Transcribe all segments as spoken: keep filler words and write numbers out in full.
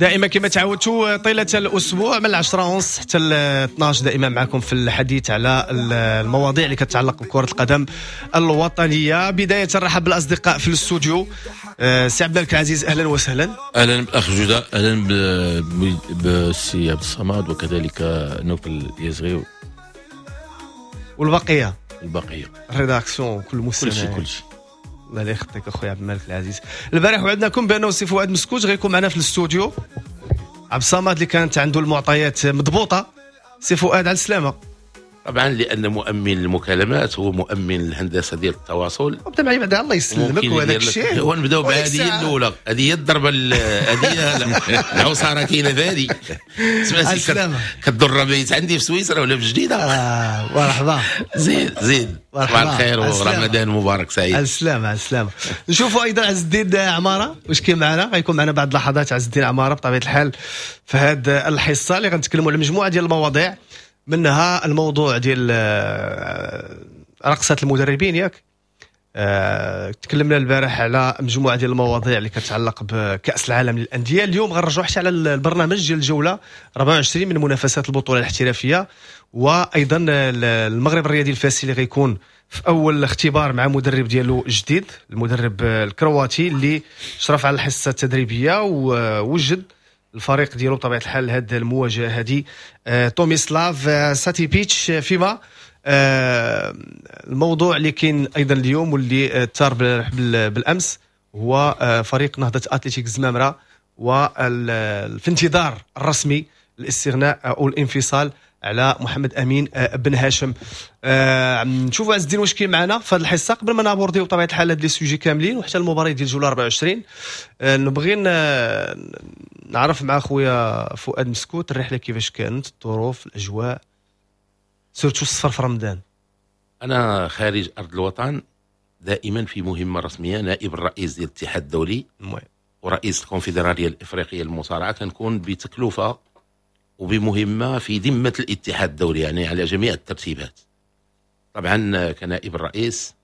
دائما كما تعودتوا طيلة الاسبوع من العشرة ونص حتى ل اثنا عشر، دائما معكم في الحديث على المواضيع اللي كتعلق بكره القدم الوطنيه. بداية نرحب بالاصدقاء في الاستوديو. آه، سي عبد الملك العزيز، اهلا وسهلا. اهلا بالاخ جوده، اهلا بالسي عبد الصمد وكذلك نوفل اليزغي. والبقيه. البقيه. ال rédaction، كل المستمعين، كل شيء كل شيء. الله لا يخطيك اخويا عبد الملك العزيز. البارح وعدناكم بانه سي فؤاد مسكوت غيكون معنا في الاستوديو. عبد الصمد اللي كانت عنده المعطيات مضبوطه. سي فؤاد، على السلامه. طبعا، لان مؤمن المكالمات هو مؤمن الهندسة ديال التواصل. وبدا معي بعدا، الله يسلمك، وهذاك الشيء. ونبداو بهذه هي الاولى، هذه هي الضربه، هذه هي العصاره كاينه في هذه. سمعتي كضر بيت عندي في سويسرا ولا في جديده. آه، مرحبا. زيد زيد، صباح الخير ورمضان مبارك سعيد. على السلامه، على السلامه. نشوفوا ايضا عز الدين عماره، واش كاين معنا؟ غيكون معنا بعد لحظات عز الدين عمارة بطبيعة الحال في هذه الحصة اللي غنتكلموا على مجموعة ديال المواضيع، منها الموضوع ديال آه، رقصه المدربين، ياك؟ أه تكلمنا البارح على مجموعة ديال المواضيع اللي كتعلق بكاس العالم للانديه. اليوم غنرجعوا حتى على البرنامج ديال الجولة أربعة وعشرين من منافسات البطولة الاحترافيه، وايضا المغرب الرياضي الفاسي اللي غيكون في اول اختبار مع مدرب ديالو جديد، المدرب الكرواتي اللي شرف على الحصة التدريبية ووجد الفريق ديالو بطبيعة الحال هذه المواجهة هذه، آه، توميسلاف آه، ساتيبيتش. فيما آه، الموضوع اللي كاين ايضا اليوم واللي ثار بالامس هو فريق نهضة اتلتيك الزمامره وفي انتظار الرسمي الاستغناء او الانفصال على محمد امين بن هاشم. آه نشوفوا عز الدين واش كاين معنا في هذه الحصه. قبل ما نابورديو بطبيعة الحال هاد les sujets كاملين وحتى المباراة ديال الجولة أربعة وعشرين، آه نبغي نعرف مع خويا فؤاد مسكوت الرحلة كيفاش كانت، الظروف، الاجواء، surtout السفر في رمضان. انا خارج ارض الوطن دائما في مهمة رسميه، نائب الرئيس ديال الاتحاد الدولي ورئيس الكونفدراليه الافريقية للمصارعه، كنكون بتكلفه وبمهمه في ذمه الاتحاد الدولي، يعني على جميع الترتيبات. طبعا كنائب الرئيس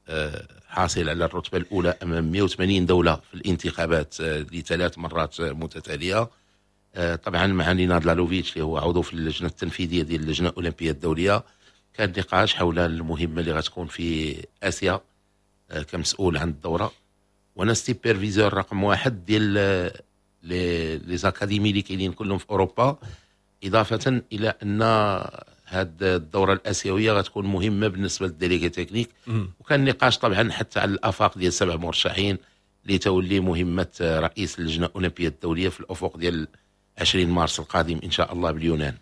آه، حاصل على الرتبة الاولى امام مئة وثمانين دولة في الانتخابات آه، لثلاث مرات متتاليه. آه، طبعا مع نيناد لالوفيتش اللي هو عضو في اللجنة التنفيذية ديال اللجنة الاولمبية الدوليه، كان نقاش حول المهمة اللي غتكون في اسيا كمسؤول عن الدوره، وانا superviseur رقم واحد ديال les académies اللي كاينين كلهم في اوروبا، اضافه الى ان هذه الدورة الاسيوية غتكون مهمة بالنسبة لل délégué technique. وكان نقاش طبعا حتى على الافاق ديال سبع مرشحين لتولي مهمة رئيس اللجنة الاولمبية الدولية في الافق ديال عشرين مارس القادم ان شاء الله باليونان.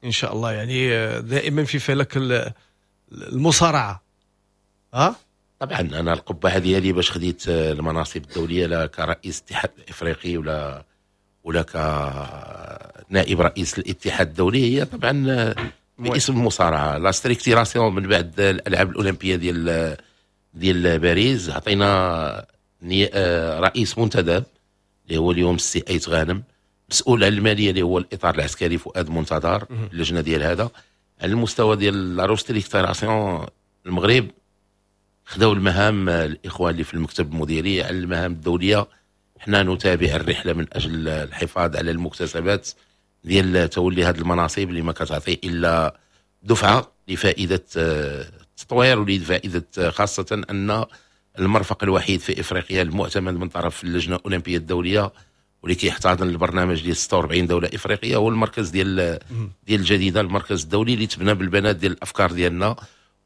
ان شاء الله. يعني دائما في فلك المصارعة ها؟ طبعا، انا القبعة ديالي باش خديت المناصب الدوليه، لا كرئيس الاتحاد الافريقي ولا ولا كنائب رئيس الاتحاد الدولي، هي طبعا باسم المصارعه. la structuration من بعد الالعاب الاولمبية ديال ديال باريس، عطينا رئيس منتدب اللي هو اليوم السي ايت غانم، مسؤول على المالية اللي هو الاطار العسكري فؤاد منتظر، اللجنة ديال هذا. على المستوى ديال la restructuration، المغرب خداو المهام الاخوان اللي في المكتب المديري. على المهام الدوليه، حنا نتابع الرحلة من اجل الحفاظ على المكتسبات ديال تولي هذه المناصب اللي ما كتعطي الا دفعه لفائدة التطوير ولفائده، خاصة ان المرفق الوحيد في افريقيا المعتمد من طرف اللجنة الاولمبية الدولية واللي كيحتضن البرنامج ديال ستة وأربعين دولة افريقية هو المركز ديال ديال الجديده، المركز الدولي اللي تبنى بالبنات ديال الافكار ديالنا.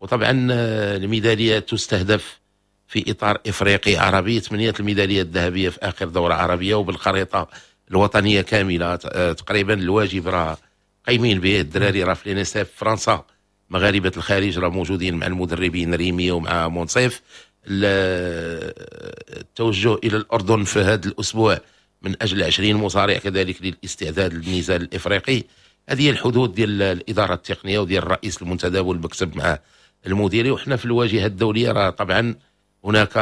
وطبعا آه، الميداليات تستهدف في اطار افريقي عربي، ثمانية الميداليات الذهبية في اخر دوره عربية وبالخريطه الوطنية كاملة آه، تقريبا. الواجب راه قايمين به الدراري، راه في l'INSEP فرنسا، مغاربة الخارج راه موجودين مع المدربين ريمي ومع منصف. التوجه الى الاردن في هذا الاسبوع من اجل عشرين مصارع كذلك للاستعداد للنزال الافريقي. هذه هي الحدود ديال الادارة التقنية وديال الرئيس المنتدب والمكتب مع المديري. وحنا في الواجهة الدولية راه طبعا هناك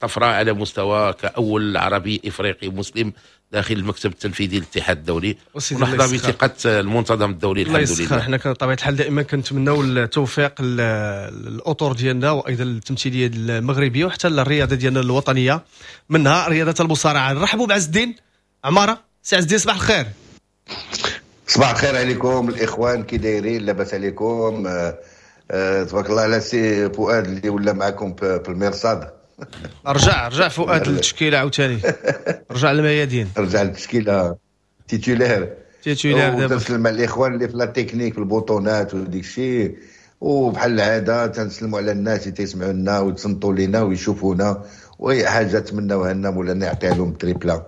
طفرة على مستوى كاول عربي افريقي مسلم داخل المكتب التنفيذي للاتحاد الدولي، ونحظى بثقة المنتظم الدولي. الحمد لله. حنا بطبيعة الحال دائما كنتمناو التوفيق للاطر ديالنا وايضا التمثيلية المغربية وحتى الرياضة ديالنا الوطنيه، منها رياضة المصارعه. نرحبوا بعز الدين عماره. سي عز الدين صباح الخير. صباح الخير عليكم الاخوان، كي دايرين؟ لاباس عليكم؟ آه، آه، تبارك الله على سي فؤاد اللي ولا معكم في المرصاد. رجع رجع فؤاد للتشكيله عاوتاني، رجع للميادين، رجع للتشكيله titulaire. titulaire دابا. تنسلم على الاخوان اللي في la technique، في البوطونات وديك الشيء، وبحال العادة تنسلموا على الناس اللي تيسمعوا لنا ويتصنتوا لنا ويشوفونا، واي حاجة تمناوها لنا مولانا يعطيها لهم triple.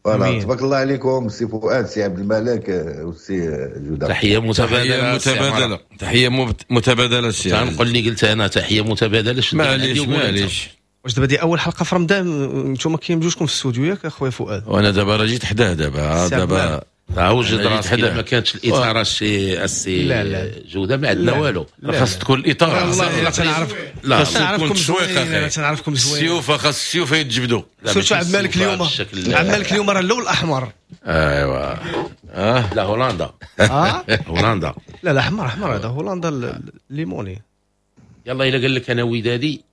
voilà، تبارك الله عليكم سي فؤاد، سي عبد الملك والسي جوده. تحية متبادله. تحية متبادله، تحية متبادلة سي. تنقول اللي قلت انا، تحية متبادله. معليش معليش. واش دابا دي اول حلقة في رمضان انتم كاين بجوجكم في الاستوديو ياك اخويا فؤاد؟ وانا دابا راه جيت حداه دابا دابا وجد راسك. ما كانتش الاثارة السي السي جوده ما عندنا والو. خاص تكون الاثارة. والله تنعرف، لا تنعرفكم زوين، تنعرفكم زوين. السيوف، خاص السيوف يتجبدوا. surtout عبد الملك اليوم، عبد الملك اليوم راه اللون الاحمر. ايوا اه لا هولندا، اه هولندا. لا لا احمر احمر، هذا هولندا الليموني. يلا الا قال لك انا ودادي.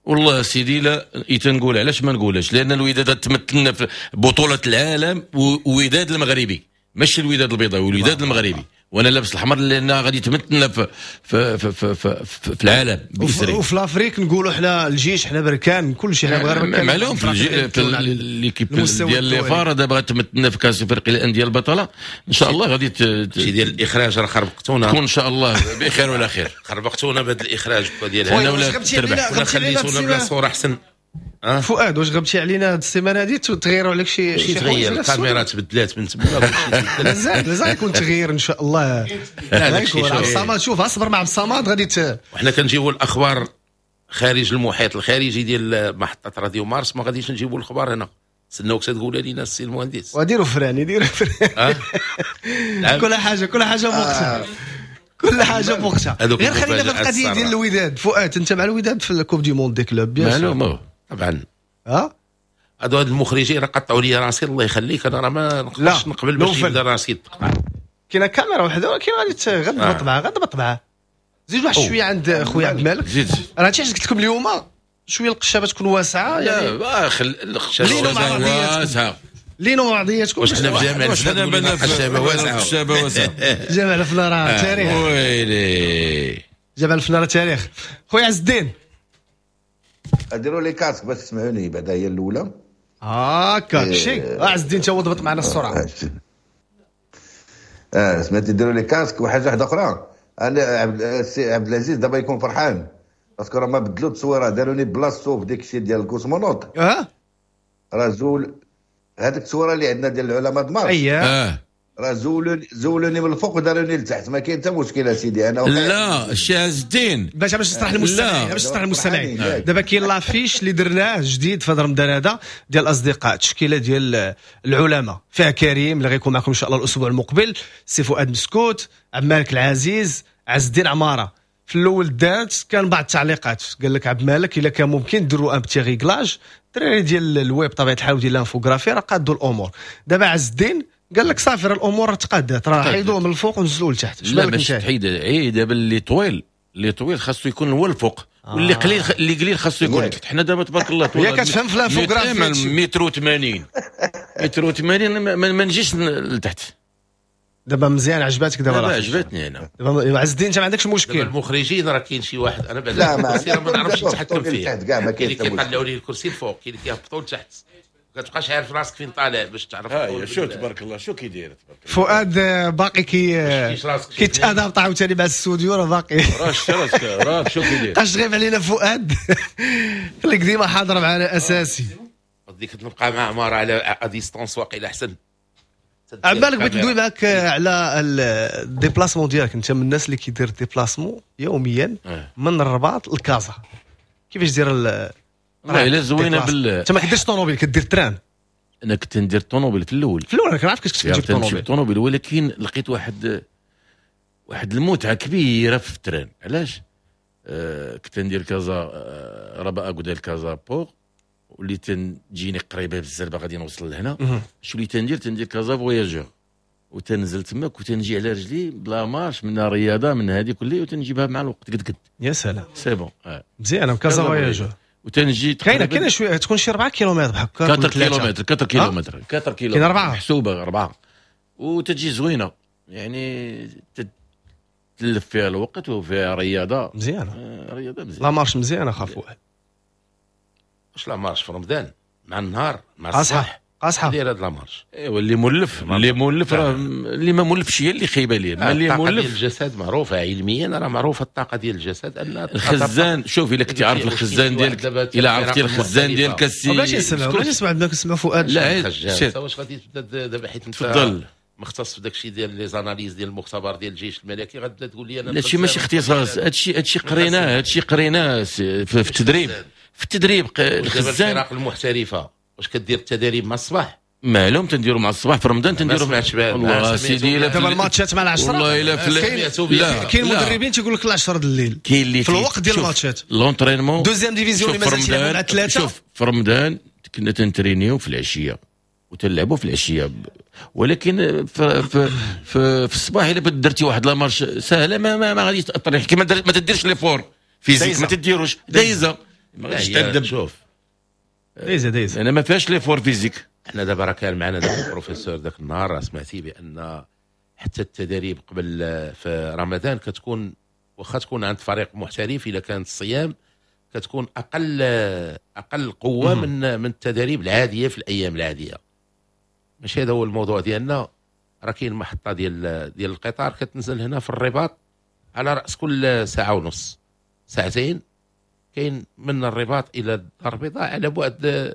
والله سيدي لا تنقول، علاش ما نقولهاش؟ لان الوداد تمثلنا في بطوله العالم، ووداد المغربي ماشي الوداد البيضاوي، الوداد المغربي، وانا لابس الاحمر لان غادي تمثلنا في في في في, في, في العالم. بإسرائيل وفي l'Afrique نقولوا حنا الجيش، حنا بركان، كل شيء حنا مغاربة. معلوم في l'équipe ديال les FAR دابا تمثلنا في كاس افريقيا للاندية البطله، ان شاء الله غادي شي ديال الاخراج راه خربقتونا. تكون ان شاء الله بخير ولا خير. خربقتونا بهذا الاخراج ديال هنا ولا تربح ولا خليتونا بلا صوره احسن. أه؟ فؤاد واش غبتي علينا هاد السيمانة هادي؟ تغيروا عليك شي شي تغير؟ الكاميرا تبدلات من تما. مازال مازال يكون تغيير ان شاء الله. عبد الصمد شوف، اصبر مع عبد الصمد غادي ت... وحنا كنجيبوا الاخبار خارج المحيط الخارجي ديال محطة راديو مارس، ما غاديش نجيبوا الاخبار هنا. سنوك تقول لنا السي المهندس. وديروا frein، يديروا frein. أه؟ كل حاجة كل حاجة بوقتها، كل حاجة بوقتها. غير خلينا في القضية ديال الوداد. فؤاد انت مع الوداد في ال Coupe du monde des clubs؟ bien sûr طبعا. ها هادو هاد المخرجين راه قطعوا لي راسي، الله يخليك، انا راه ما نقدرش نقبل باش يبدا راسي يتقطع. كاينه كاميرا وحده ولكن غادي غتضبط معاه، غتضبط معاه. زيد واحد شوية عند خويا عبد الملك. زيد. راه هادشي علاش قلت لكم اليوم شوية القشابه تكون واسعة. يعني لا القشابه واسعة لينو بعضياتكم. واش حنا في جامع الفنا؟ القشابه واسعه، القشابه واسعة. جامع الفنا راه تاريخ. ويلي جامع الفنا راه تاريخ. خويا عز الدين ديروا les casques باش تسمعوني بعدا، هي الاولى. هاكا شي عز الدين تا هو ضبط معنا السرعة. اه سمعتي، ديروا les casques. وحاجه واحدة اخرى، انا عبد السي عبد العزيز دابا يكون فرحان parce que راه ما بدلوا التصويره، داروني بلاصتو في ديك الشيء ديال ال cosmonaute. اه راه زول هذيك التصويره اللي عندنا ديال العلماء د مارس. اييه راه زولوني زولوني من الفوق وداروني لتحت، ما كاين حتى مشكل سيدي. انا لا الشيخ عز الدين باش باش نشرح للمستمعين، باش نشرح للمستمعين دابا كاين l'affiche اللي درناه جديد في هذا رمضان هذا ديال الاصدقاء، تشكيله ديال العلماء فيها كريم اللي غيكون معكم ان شاء الله الاسبوع المقبل، سي فؤاد مسكوت، عبد الملك العزيز، عز الدين عمارة. في الاول دارت كان بعض التعليقات قال لك عبد الملك الا كان ممكن ديروا un petit réglage، الدراري ديال الويب طبيعة الحال وديال l'infographie راه قادوا الامور. دابا عز الدين قال لك صافي راه الامور تقادات، راه حيدوه من الفوق ونزلوه لتحت. لا ماشي تحيد، اي دابا اللي طويل اللي طويل خاصو يكون هو الفوق، واللي قليل اللي قليل خاصو يكون تحت. حنا دابا تبارك الله طويل، هي كتفهم في l'infographie متر وثمانين متر وثمانين ما نجيش لتحت. دابا مزيان عجباتك دابا؟ لا عجبتني انا دابا. عز الدين انت ما عندكش مشكل؟ المخرجين راه كاين شي واحد انا بعدا الكرسي راه ما نعرفش نتحكم فيه، كاين اللي كيطلعوا لي الكرسي الفوق، كاين اللي كيهبطوا لتحت، ما كتبقاش عارف راسك فين طالع باش تعرف. ها شو تبارك الله شو كيدير تبارك الله. فؤاد باقي كي كيتادابط عاوتاني مع الاستوديو، راه باقي راه راسك راه شو كيدير. اش غيب علينا فؤاد، خليك ديما حاضر معنا اساسي. ديك نبقى مع عمارة على à distance واقيلا احسن. عبد الملك بغيت ندوي معاك على ال déplacement ديالك، انت من الناس اللي كيدير déplacement يوميا من الرباط لكازا، كيفاش دير؟ والله الا زوينة بال انت ما كديرش طوموبيل، كدير train. انا كنت ندير طوموبيل في الاول، في الاول انا كنعرف كنت كتجيب طوموبيل طوموبيل، ولكن لقيت واحد واحد المتعة كبيرة في ال train. علاش؟ آه كنت ندير كازا آه رباط اكودال كازا port، واللي تجيني قريبه بزاف غادي نوصل لهنا. شو اللي تندير؟ تندير كازا voyageurs وتنزل تماك وتنجي على رجلي بلا marche، منها رياضة من هذه كلها، وتنجيبها مع الوقت قد قد. يا سلام c'est bon. مزيانه كازا voyageurs. وتنجي كاينه كاينه شوية، تكون شي أربعة كيلومتر بحال هكا. أربعة كيلومتر، أربعة كيلومتر، أربعة كيلومتر، كاين أربعة محسوبة أربعة، وتجي زوينة يعني تلف فيها الوقت وفيها رياضة مزيانه. آه رياضة مزيانه، la marche مزيانه خاف واحد. واش la marche في رمضان مع النهار مع الصباح قاصحة داير هاد la marche؟ ايوا اللي مولف، اللي مولف راه اللي ما مولفش هي اللي خايبة ليه. ما اللي مولف الجسد معروفة علميا، راه معروفة الطاقة ديال الجسد ان الخزان. شوف الا كنتي عارف الخزان ديالك، الا عرفتي الخزان ديالك السي بلاش نسمع، بلاش نسمع بدا كنسمع فؤاد. لا واش غادي تبدا دابا حيت انت تفضل مختص في داك الشيء ديال les analyses ديال المختبر ديال الجيش الملكي، غتبدا تقول لي انا لا شي ماشي اختصاص. هادشي هادشي قريناه، هادشي قريناه في التدريب، في التدريب الخزان. الفرق المحترفه واش كدير التدريب مع الصباح؟ معلوم تنديروا مع الصباح في رمضان تنديروا. ما سمعتش والله سيدي دابا الماتشات مع العشرة. والله الا في كاين مدربين تيقول لك العشرة د الليل، كاين اللي في الوقت ديال الماتشات l'entraînement deuxième division اللي مازال تيلعبوا مع ثلاثة. شوف في رمضان كنا تنترينيو في العشية وتنلعبوا في العشية، ولكن في في في, في الصباح الا درتي واحد la marche سهلة ما ما, ما غاديش تاثر، كيما ما تديرش l'effort physique ما تديروش دايزه، ما غاديش تندم. شوف دايزه دايزه انا ما فيهاش l'effort physique. احنا دابا راه كان معنا داك البروفيسور ذاك النهار، سمعتي بان حتى التدريب قبل في رمضان كتكون واخا تكون عند فريق محترف الا كانت الصيام كتكون اقل اقل قوة من من التدريب العادية في الايام العادية. ماشي هذا هو الموضوع ديالنا. راه كاين محطة ديال ديال القطار كتنزل هنا في الرباط على راس كل ساعة ونص ساعتين، كاين من الرباط الى الدار البيضاء على بعد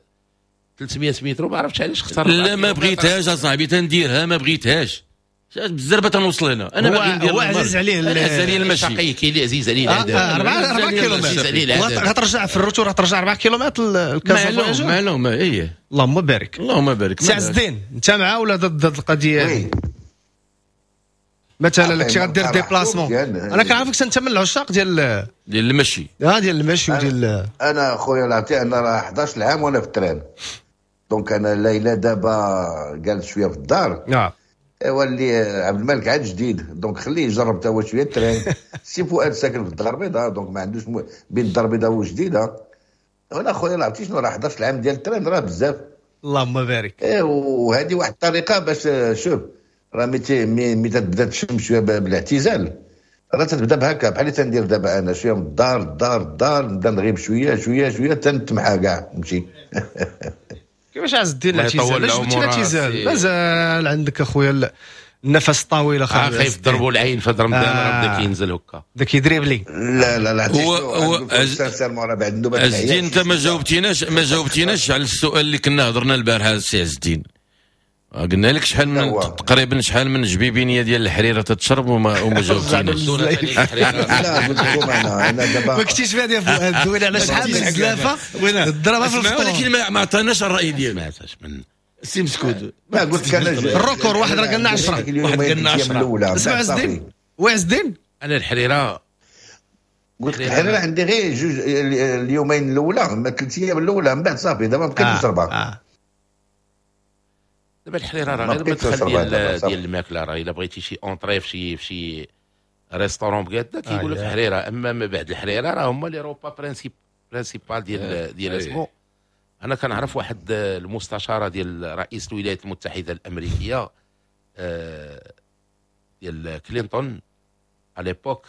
ثلاثمية متر. ما عرفتش علاش اختار. لا ما بغيتهاش اصاحبي تنديرها، ما بغيتهاش بالزربه تنوصل هنا. انا باغي ندير هو عزيز عليه عزيز عليه المشي، كاين اللي عزيز عليه العذاب. أربعة كيلومتر غترجع في ال retour، غترجع أربعة كيلومتر لكازا. معلوم معلوم ايه. اللهم بارك اللهم بارك. سي عز الدين انت مع ولا ضد القضية هذه؟ مثلا لك غدير déplacement، انا كنعرفك انت من العشاق ديال ديال المشي. اه ديال المشي وديال انا خويا العطي انا راه حداش عام وانا في ال train، donc انا ليلى دابا جالس شوية في الدار. نعم ايوا اللي عبد الملك عاد جديد، donc خليه يجرب تا هو شوية ال train. سي فؤاد ساكن في الدار البيضاء، donc ما عندوش م... بين الدار البيضاء وجديدة. انا خويا العطي شنو راه حداش عام ديال ال train راه بزاف. اللهم بارك. ايه وهذه واحد الطريقة باش شوف راه ملي ملي تبدا تشم شوية بالاعتزال راه تتبدا بهكا بحال اللي تندير دابا انا شوية من الدار الدار الدار نبدا نغيب شوية شوية شوية تنتمحى كاع نمشي. كيفاش عز الدين الاعتزال؟ علاش جبتي الاعتزال؟ مازال عندك اخويا النفس الطويل اخويا. خايف ضربوا العين في رمضان راه بدا كينزل هكا بدا كيدريبلي. لا لا لا هو هو عز الدين انت ما جاوبتيناش ما جاوبتيناش على السؤال اللي كنا هضرنا البارح السي عز الدين. قلنا لك شحال من تقريبا شحال من جبيبينيه ديال الحريره تتشرب وما وما جاوبتيناش. لا قلت لكم انا انا دابا ما كنتيش فيها يا فؤاد دوينا على شحال من زلافه ضربها في الفطور، ولكن ما عطاناش الراي ديالو. من سي مسكود ما قلت لك انا ال record واحد راه قالنا عشرة، واحد قالنا عشرة. اسمع عز الدين، وي عز الدين انا الحريره قلت لك الحريره عندي غير جوج اليومين الاولى، ما ثلاث ايام الاولى، من بعد صافي دابا ما بقيتش نشربها. دابا الحريره راه غير المدخل ديال ديال الماكلة، راه الا بغيتي شي entrée في شي في شي restaurant بكدا كيقول لك الحريره، اما ما بعد الحريره راه هما les repas princip principal ديال ديال اسمو. انا كنعرف واحد المستشارة ديال رئيس الولايات المتحدة الامريكية ديال كلينتون à l'époque،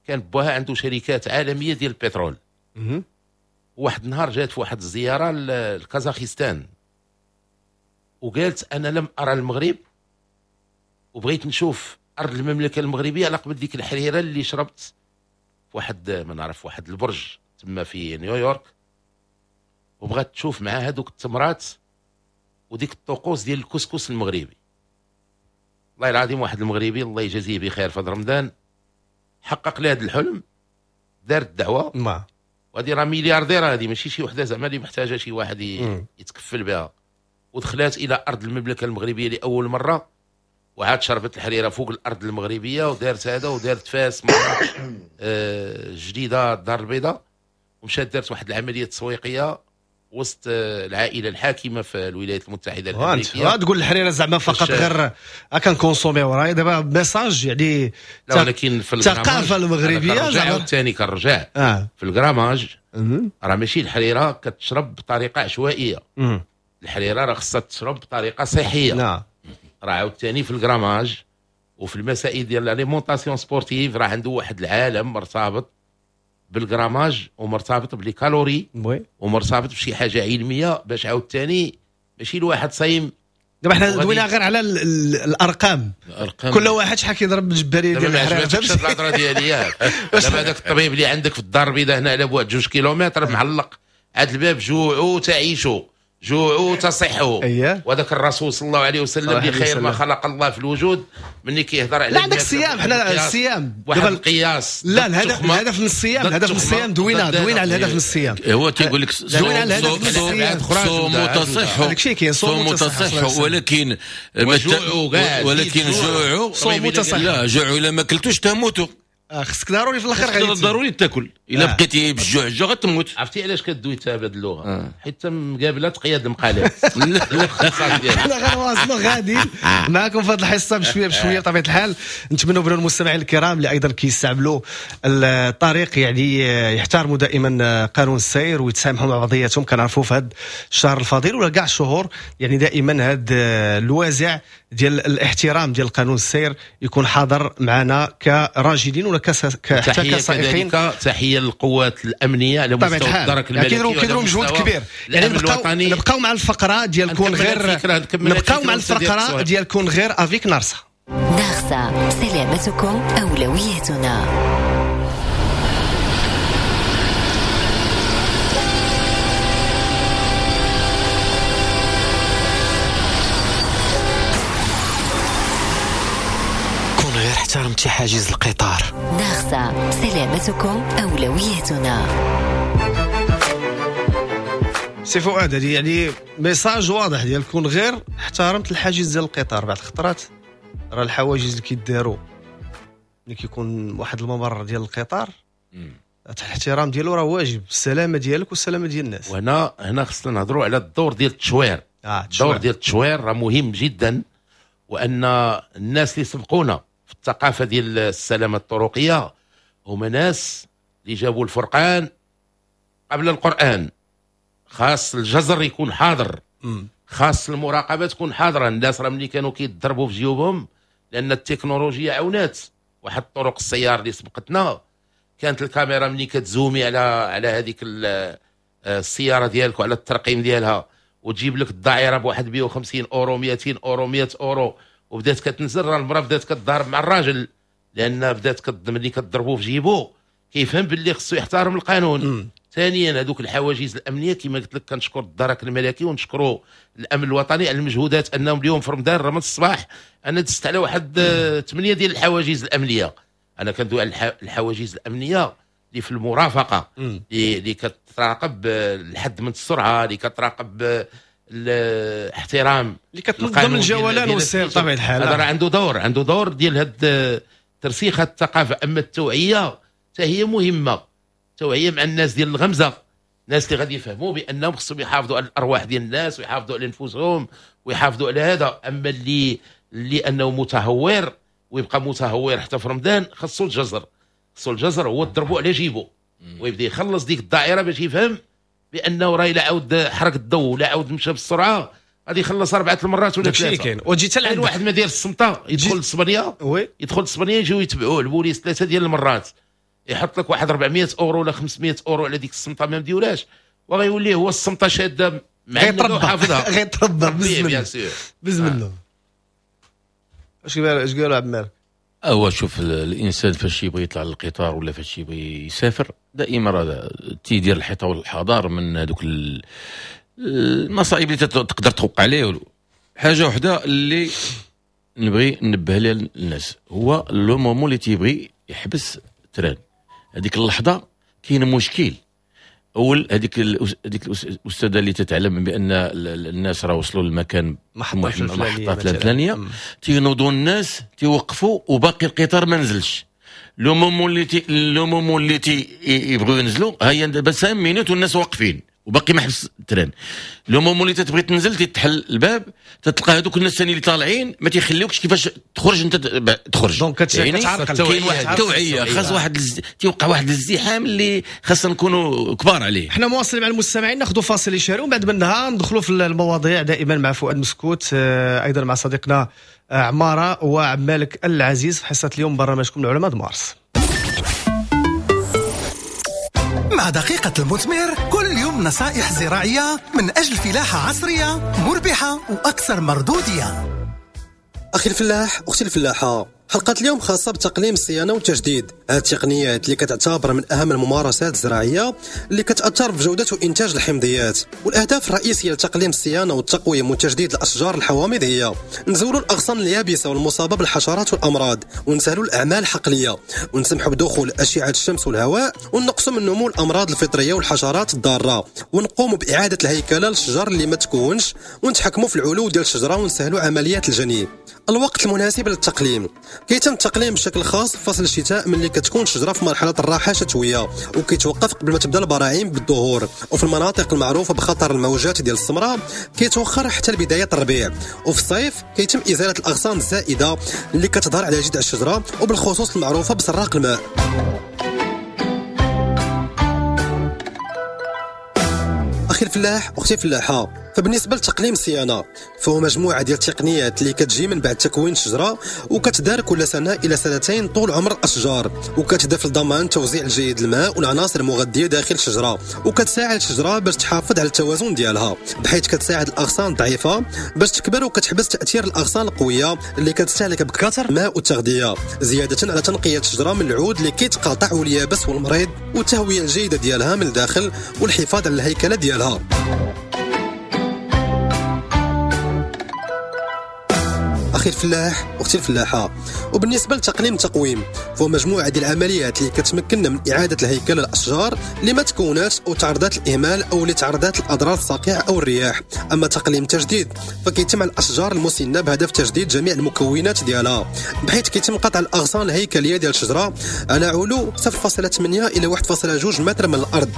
كان باها عنده شركات عالمية ديال البترول. واحد النهار جات في واحد الزيارة لكازاخستان وقالت انا لم ارى المغرب وبغيت نشوف ارض المملكة المغربية على قبل ديك الحريره اللي شربت في واحد ما نعرف واحد البرج تما في نيويورك، وبغات تشوف مع هذوك التمرات وديك الطقوس ديال الكسكس المغربي. والله العظيم واحد المغربي الله يجازيه بخير في رمضان حقق لي هذا الحلم، دار الدعوة وهذه راه مليارديره، هذه ماشي شي وحده زعما اللي محتاجه شي واحد يتكفل بها. ودخلات الى ارض المملكة المغربية لاول مرة وعاد شربت الحريره فوق الارض المغربية ودارت هذا ودارت فاس مراكش آه جديدة الدار البيضاء، ومشات دارت واحد العملية تسويقية وسط العائلة الحاكمة في الولايات المتحدة الامريكية. تقول الحريره زعما فقط غير كن consommer وراي دابا message يعني، لا ولكن في الثقافة المغربية زعما ثاني كنرجع آه. في ال grammage راه ماشي الحريره كتشرب بطريقة عشوائية. مم. الحريره راه خصها تشرب بطريقة صحية. نعم. راه عاوتاني في ال grammage وفي المسائل ديال l'alimentation sportive راه عنده واحد العالم مرتبط بال grammage ومرتبط ب les calories ومرتبط بشي حاجة علمية باش عاوتاني ماشي الواحد صايم. دابا حنا دوينا غير على الارقام، الارقام كل واحد شحال كيضرب بالجباريه ديال الحريره. دابا ما الهضرة ديالي ياك. دابا هذاك الطبيب اللي عندك في الدار البيضاء هنا على بعد جوج كيلومتر معلق عاد الباب جوعوا تعيشوا جوعوا تصحوا. أيه. وهذاك الرسول صلى الله عليه وسلم بخير ما خلق الله في الوجود ملي كيهضر على لا عندك الصيام، حنا الصيام واحد القياس. لا الهدف الهدف من الصيام، الهدف من الصيام دوينا دوينا على الهدف من الصيام. هو تيقول لك دوينا على الهدف من الصيام، صوموا تصحوا، داك الشيء كاين صوموا تصحوا، ولكن ولكن جوعوا صوموا تصحوا. لا جوعوا الا ما كلتوش تموتوا. خصك ضروري في الاخر غادي ضروري تاكل، الا آه. بقيتي بالجوع الجوع غتموت. عرفتي علاش كدوي انت بهذه اللغة؟ آه. حيت مقابله قياد المقالات. حنا غنواصلوا غاديين معكم في هذه الحصة بشوية بشوية بطبيعة الحال. نتمنوا بان المستمعين الكرام اللي ايضا كيستعملوا الطريق يعني يحترموا دائما قانون السير ويتسامحوا مع بعضياتهم. كنعرفوا في هذا الشهر الفضيل ولا كاع الشهور يعني دائما هذا الوازع ديال الاحترام ديال قانون السير يكون حاضر معنا كراجلين ولا حتى كسائقين. تحية للقوات الامنية على مستوى الدرك الملكي، كيديروا كيديروا مجهود كبير. يعني نبقاو نبقاو مع الفقرة ديال كون غير، نبقاو مع الفقرة ديال كون غير avec نارسا. نارسا، سلامتكم اولويتنا. احترمتي حاجز القطار. نارسا، سلامتكم أولويتنا. سي فؤاد، هذه يعني message واضح ديال كون غير احترمت الحاجز ديال القطار. بعض الخطرات راه الحواجز اللي كيداروا ملي كيكون واحد الممر ديال القطار الاحترام ديالو راه واجب، السلامة ديالك والسلامة ديال الناس. وهنا هنا خصنا نهضروا على الدور ديال التشوير. آه، الدور ديال التشوير راه مهم جدا، وان الناس اللي سبقونا في الثقافة ديال السلامة الطرقيه هما ناس اللي جابوا الفرقان قبل القران. خاص الجزر يكون حاضر، خاص المراقبة تكون حاضره. الناس راه ملي كانوا كيضربوا في جيوبهم لان التكنولوجيا عاونات واحد الطرق السيار اللي سبقتنا، كانت الكاميرا ملي كتزومي على على هذيك السيارة ديالك وعلى الترقيم ديالها وتجيب لك الدائرة بواحد مية وخمسين اورو مئتين اورو مية اورو، وبدات كتنزل راه المراة بدات كتضارب مع الراجل، لان بدات ملي كتضربو في جيبو كيفهم باللي خصو يحترم القانون. ثانيا هذوك الحواجز الامنية كما قلت لك، كنشكر الدرك الملكي ونشكروا الامن الوطني على المجهودات، انهم اليوم في رمضان راه من الصباح انا دزت على واحد ثمانية ديال الحواجز الامنية. انا كندوي على الحواجز الامنية اللي في المرافقة، اللي كتراقب الحد من السرعة، اللي كتراقب الاحترام، اللي كتنظم الجولان والسير بطبيعة الحال. هذا راه عنده دور، عنده دور ديال هاد ترسيخ الثقافة. اما التوعية حتى هي مهمة، التوعية مع الناس ديال الغمزه، الناس اللي غادي يفهموا بانهم خصهم يحافظوا على الارواح ديال الناس ويحافظوا على نفوسهم ويحافظوا على هذا. اما اللي اللي انه متهور ويبقى متهور حتى في رمضان، خصو الجزر، خصو الجزر هو تضربوا على جيبه ويبدا يخلص ديك الدائرة باش يفهم بانه راه الا عاود حرق الضوء ولا عاود مشى بالسرعة غادي يخلص اربعة المرات ولا ثلاثة. كاين وتجي حتى لعند واحد ما داير الصمته يدخل لاسبانيا، يدخل لاسبانيا يجيو يتبعوه البوليس ثلاثة ديال المرات، يحط لك واحد أربعمية اورو ولا خمسمية اورو على ديك الصمته ما مديولاش، وغيولي هو الصمته شاده مع حافظها غيتربى بز منه بز منه. اش قال اش قال عبد المالك؟ هو شوف الانسان فاش يبغي يطلع للقطار ولا فاش يبغي يسافر دائما راه تيدير الحيطة والحذر من هذوك المصائب اللي تقدر توقع عليه. حاجة وحده اللي نبغي ننبه لها الناس هو le moment اللي تيبغي يحبس train، هذيك اللحظة كاين مشكل. اول هذيك هذيك الاستاذة اللي تتعلم بان الناس راه وصلوا للمكان محطة الفلانية، تينوضوا الناس تيوقفوا وباقي القطار ما نزلش. le moment اللي تي le moment اللي تي يبغيو ينزلوا هيا دابا خمسة minutes والناس واقفين وباقي ما حبس ال train. le moment اللي تتبغي تنزل تتحل الباب، تتلقى هذوك الناس الثاني اللي طالعين ما تيخليوكش كيفاش تخرج انت تخرج. donc يعني كاين واحد التوعية، خاص واحد الز... تيوقع واحد الازدحام اللي خاصنا نكونوا كبار عليه. حنا مواصلين مع المستمعين، ناخذوا فاصل اشهاري ومن بعد منها ندخلوا في المواضيع دائما مع فؤاد مسكوت، ايضا مع صديقنا عمارة وعمالك العزيز في حصة اليوم برنامجكم العلماء مارس. مع دقيقة المثمر كل يوم نصائح زراعية من أجل فلاحة عصرية مربحة وأكثر مردودية. أخي الفلاح، أختي الفلاحة، حلقة اليوم خاصة بتقليم الصيانة والتجديد، هذه التقنيات اللي كتعتبر من أهم الممارسات الزراعية اللي كتأثر في جودة وإنتاج الحمضيات. والأهداف الرئيسية لتقليم الصيانة والتقويم وتجديد الأشجار الحوامض هي نزولوا الأغصان اليابسة والمصابة بالحشرات والأمراض، ونسهلوا الأعمال الحقلية، ونسمحوا بدخول أشعة الشمس والهواء، ونقصوا من نمو الأمراض الفطرية والحشرات الضارة، ونقوموا بإعادة الهيكلة للشجر اللي ما تكونش، ونتحكموا في العلو ديال الشجرة ونسهلوا عمليات الجني. الوقت المناسب للتقليم كيتم التقليم بشكل خاص في فصل الشتاء ملي كتكون الشجرة في مرحلة الراحة الشتوية، وكيتوقف قبل ما تبدا البراعيم بالظهور، وفي المناطق المعروفة بخطر الموجات ديال السمراء كيتوخر حتى لبداية الربيع. وفي الصيف كيتم ازالة الاغصان الزائدة اللي كتظهر على جذع الشجرة، وبالخصوص المعروفة بسراق الماء. أخي الفلاح، أختي الفلاحة، فبالنسبة لتقليم الصيانة فهو مجموعة ديال التقنيات اللي كتجي من بعد تكوين الشجرة، وكتدار كل سنة إلى سنتين طول عمر الأشجار، وكتهدف لضمان توزيع الجيد الماء والعناصر المغذية داخل الشجرة، وكتساعد الشجرة باش تحافظ على التوازن ديالها، بحيث كتساعد الأغصان الضعيفة باش تكبر، وكتحبس تأثير الأغصان القوية اللي كتستهلك بكثر الماء والتغذية، زيادة على تنقية الشجرة من العود اللي كيتقاطع واليابس والمريض، والتهوية الجيدة ديالها من الداخل، والحفاظ على الهيكلة ديالها. أخي الفلاح، أختي الفلاحة، وبالنسبة لتقليم التقويم فهو مجموعة ديال العمليات اللي كتمكننا من إعادة الهيكلة للأشجار اللي ما تكونات أو تعرضات الإهمال أو اللي تعرضات الأضرار الصقيع أو الرياح. أما تقليم التجديد فكيتم على الأشجار المسنة بهدف تجديد جميع المكونات ديالها، بحيث كيتم قطع الأغصان الهيكلية ديال الشجرة على علو صفر فاصلة ثمانية إلى واحد فاصلة جوج متر من الأرض.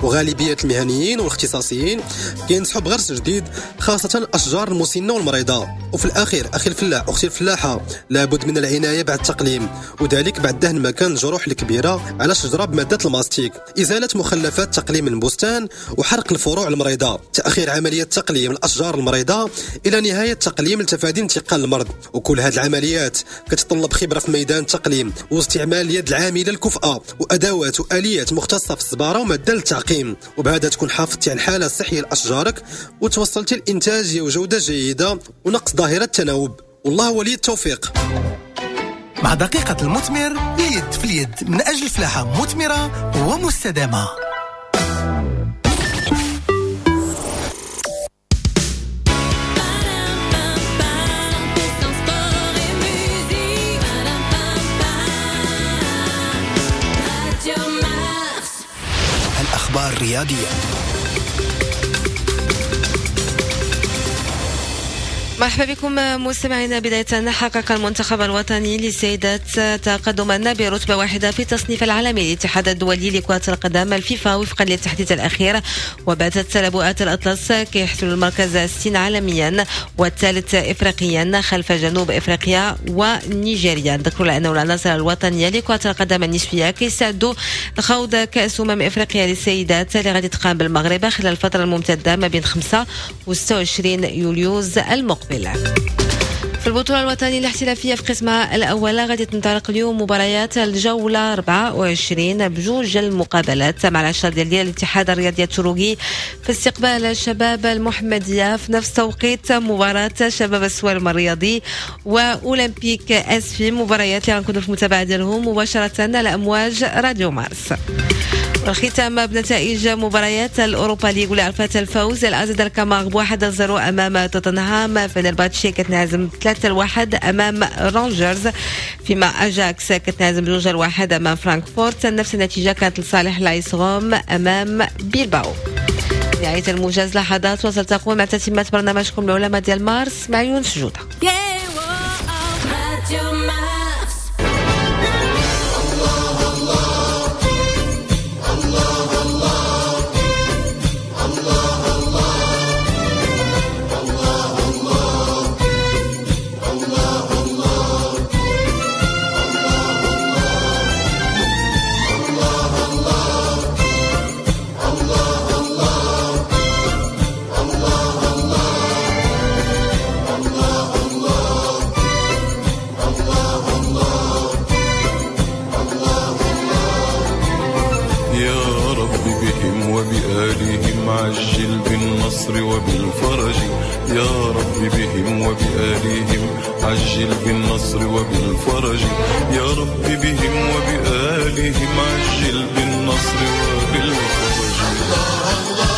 وغالبية المهنيين والاختصاصيين كينصحوا بغرس جديد خاصة الأشجار المسنة والمريضة. وفي الأخير أخي الفلاح، أختي الفلاحة، لابد من العناية بعد التقليم، وذلك بعد دهن مكان الجروح الكبيرة على الشجرة بمادة الماستيك، إزالة مخلفات تقليم البستان، وحرق الفروع المريضة، تأخير عملية تقليم الأشجار المريضة إلى نهاية تقليم لتفادي انتقال المرض. وكل هذه العمليات كتطلب خبرة في ميدان التقليم، واستعمال اليد العاملة الكفءة، وأدوات وآليات مختصة في الصبارة ومادة للتعقيم، وبهذا تكون حافظتي على الحالة الصحية لأشجارك، وتوصلتي لإنتاجية وجودة جيدة ونقص ظاهرة التناوب. والله ولي التوفيق. مع دقيقة المثمر، اليد في اليد من أجل فلاحة مثمرة ومستدامة. الأخبار الرياضية. مرحبا بكم مستمعينا. بداية، حقق المنتخب الوطني للسيدات تقدما برتبة واحدة في التصنيف العالمي للاتحاد الدولي لكرة القدم الفيفا وفقا للتحديث الأخير، وباتت لبؤات الأطلس كيحتل المركز الستين عالميا والثالث إفريقيا خلف جنوب إفريقيا ونيجيريا. نذكر أنه العناصر الوطنية لكرة القدم النسوية كيستعدوا لخوض كأس أمم إفريقيا للسيدات اللي غادي تقام بالمغرب خلال الفترة الممتدة ما بين خمسة و ستة وعشرين يوليوز المقبل. في البطولة الوطنية الاحترافية في قسمها الأول غادي تنطلق اليوم مباريات الجولة أربعة وعشرين بجوج المقابلات مع العشرة ديال الاتحاد الرياضي التروقي في استقبال الشباب المحمدية، في نفس توقيت مباراة شباب السوالم الرياضي وأولمبيك أسفي، مباريات اللي غنكونوا في المتابعة ديالهم مباشرة على أمواج راديو مارس. والختام بنتائج مباريات الأوروبا ليغ واللي عرفت الفوز الأزد الكامار بواحد صفر أمام توتنهام، فنرباتشي كتنهزم ثلاثة واحد أمام رانجرز، فيما أجاكس كتنهزم جوج واحد أمام فرانكفورت. نفس النتيجة كانت لصالح لايس روم أمام بيلباو. نهاية الموجز لحظات وستقوم مع تتمة برنامجكم العلماء ديال مارس مع يونس جودة. الله وبآلهم عجل بالنصر وبالفرج، يا رب بهم وبآلهم عجل بالنصر وبالفرج. الله الله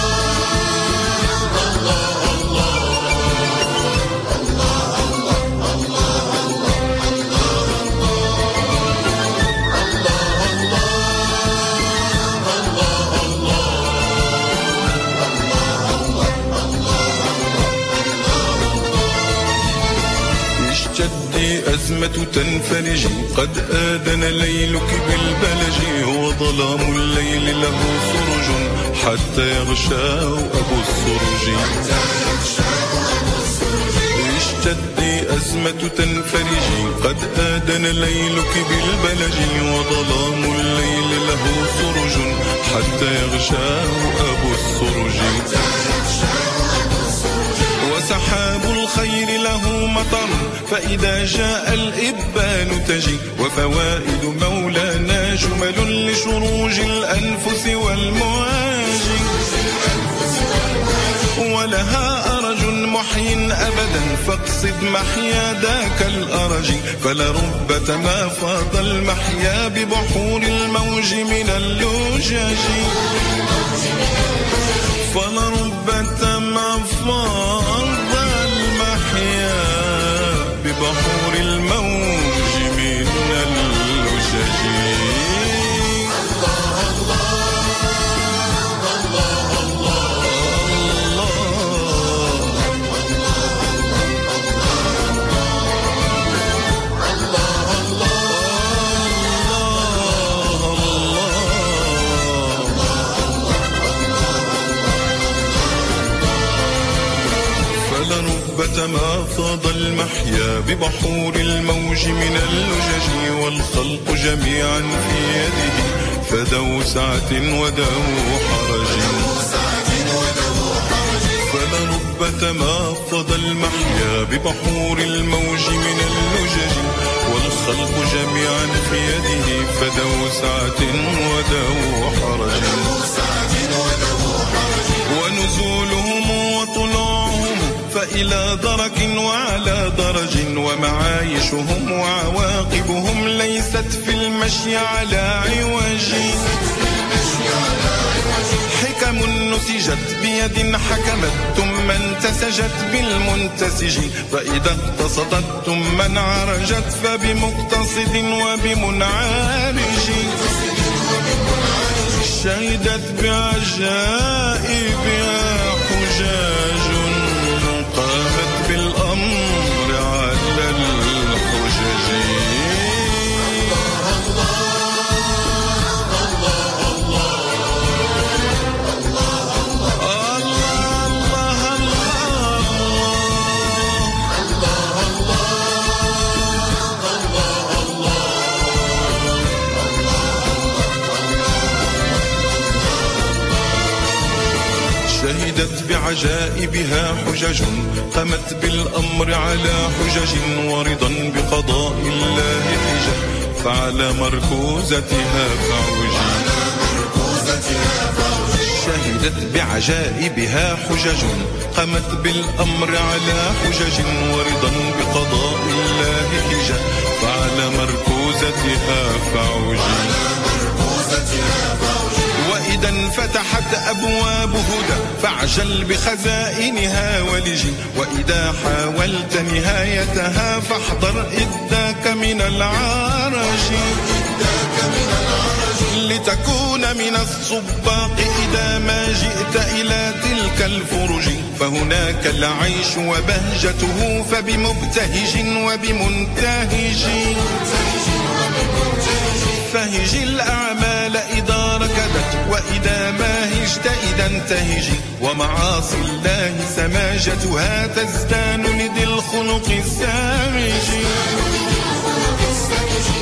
الله الله الله الله اشتدي أزمة تنفرج، قد آذن ليلك بالبلج، وظلام الليل له سرج حتى يغشاه أبو السرج. اشتدي أزمة تنفرج، قد آذن ليلك بالبلج، وظلام الليل له سرج حتى يغشاه أبو السرج. وسحاب الخير له مطر، فإذا جاء الإبان تجي، وفوائد مولانا جمل لشروج الأنفس والمواج، ولها أرج محي أبدا فاقصد محيا ذاك الأرج، فلرب ما فاض المحيا ببحور الموج من اللجاج، فلرب ما فاض المحيا ببحور الموج من اللجاج. الله الله الله الله الله الله فلرب ما فاض المحيا ببحور الموج من اللجج، والخلق جميعا في يده فذو سعة وذو حرج، فلرب ما فاض المحيا ببحور الموج من اللجج، والخلق جميعا في يده فذو سعة وذو حرج. ونزولهم وطلوعهم فإلى درك وعلى درج، ومعايشهم وعواقبهم ليست في المشي على عوج، حكم نسجت بيد حكمت ثم انتسجت بالمنتسج، فإذا اقتصدت ثم انعرجت فبمقتصد وبمنعرج، شهدت بعجائبها حجاج قامت بالأمر على الحجج. الله الله الله الله الله الله الله الله الله. شهدت بعجائبها حجج قامت بالأمر على حجج، ورضا بقضاء الله حجج فعلى مركوزتها فعوج. شهدت بعجائبها حجج قامت بالأمر على حجج، ورضا بقضاء الله حجج فعلى مركوزتها فعوج. وإذا انفتحت أبواب هدى فاعجل بخزائنها ولج، وإذا حاولت نهايتها فاحضر إذاك من العرج، لتكون من السباق إذا ما جئت إلى تلك الفرج، فهناك العيش وبهجته فبمبتهج وبمنتهج، فهج الأعمال إذا ركدت وإذا ما هجت إذا انتهج، ومعاصي الله سماجتها تزدان لذي الخلق السامج،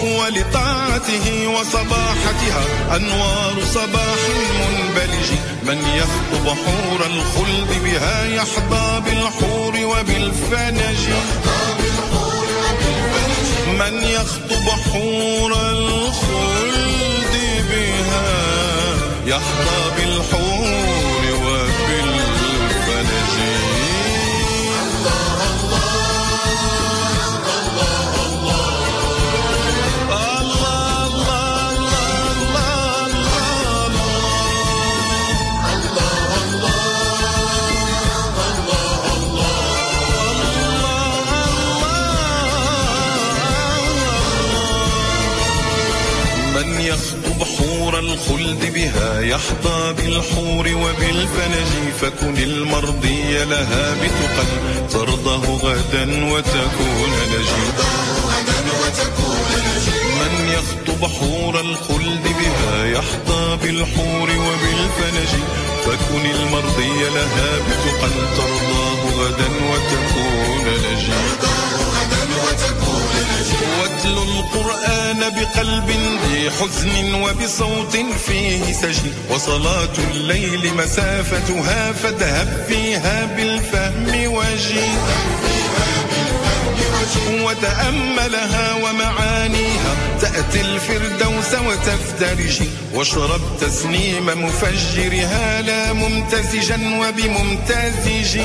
ولطاعته وصباحتها أنوار صباح منبلج، من يخطب حور الخلد بها يحظى بالحور وبالفنج، من يخطب حور الخلد بها يحظى بالحور وبالفنج. الله الله الخلد بها يحظى بالحور وبالفنج، فكن المرضي لها بتقى ترضه غدا وتكون نجي. من يخطب حور الخلد بها يحظى بالحور وبالفنج، فكن المرضي لها بتقى ترضاه غدا وتكون نجي. واتل القرآن بقلب ذي حزن وبصوت فيه سجن، وصلاة الليل مسافتها فاذهب فيها بالفهم وجي، وتأملها ومعانيها تأتي الفردوس وتفترج، واشرب تسنيم مفجرها لا ممتزجا وبممتزج،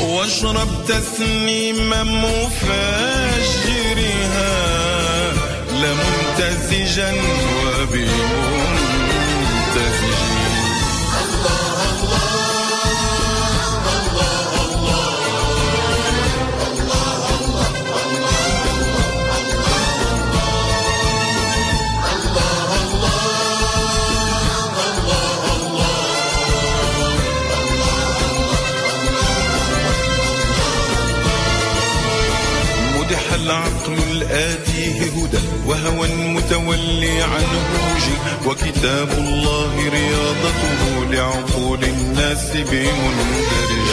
واشرب تسنيم مفجرها لا ممتزجا وبممتزج. الله الله الله الله الله الله الله الله مدح العقل الآتيه هدى وهوى متولي عنه وجي، وكتاب الله رياضته لعقول الناس بمندرج.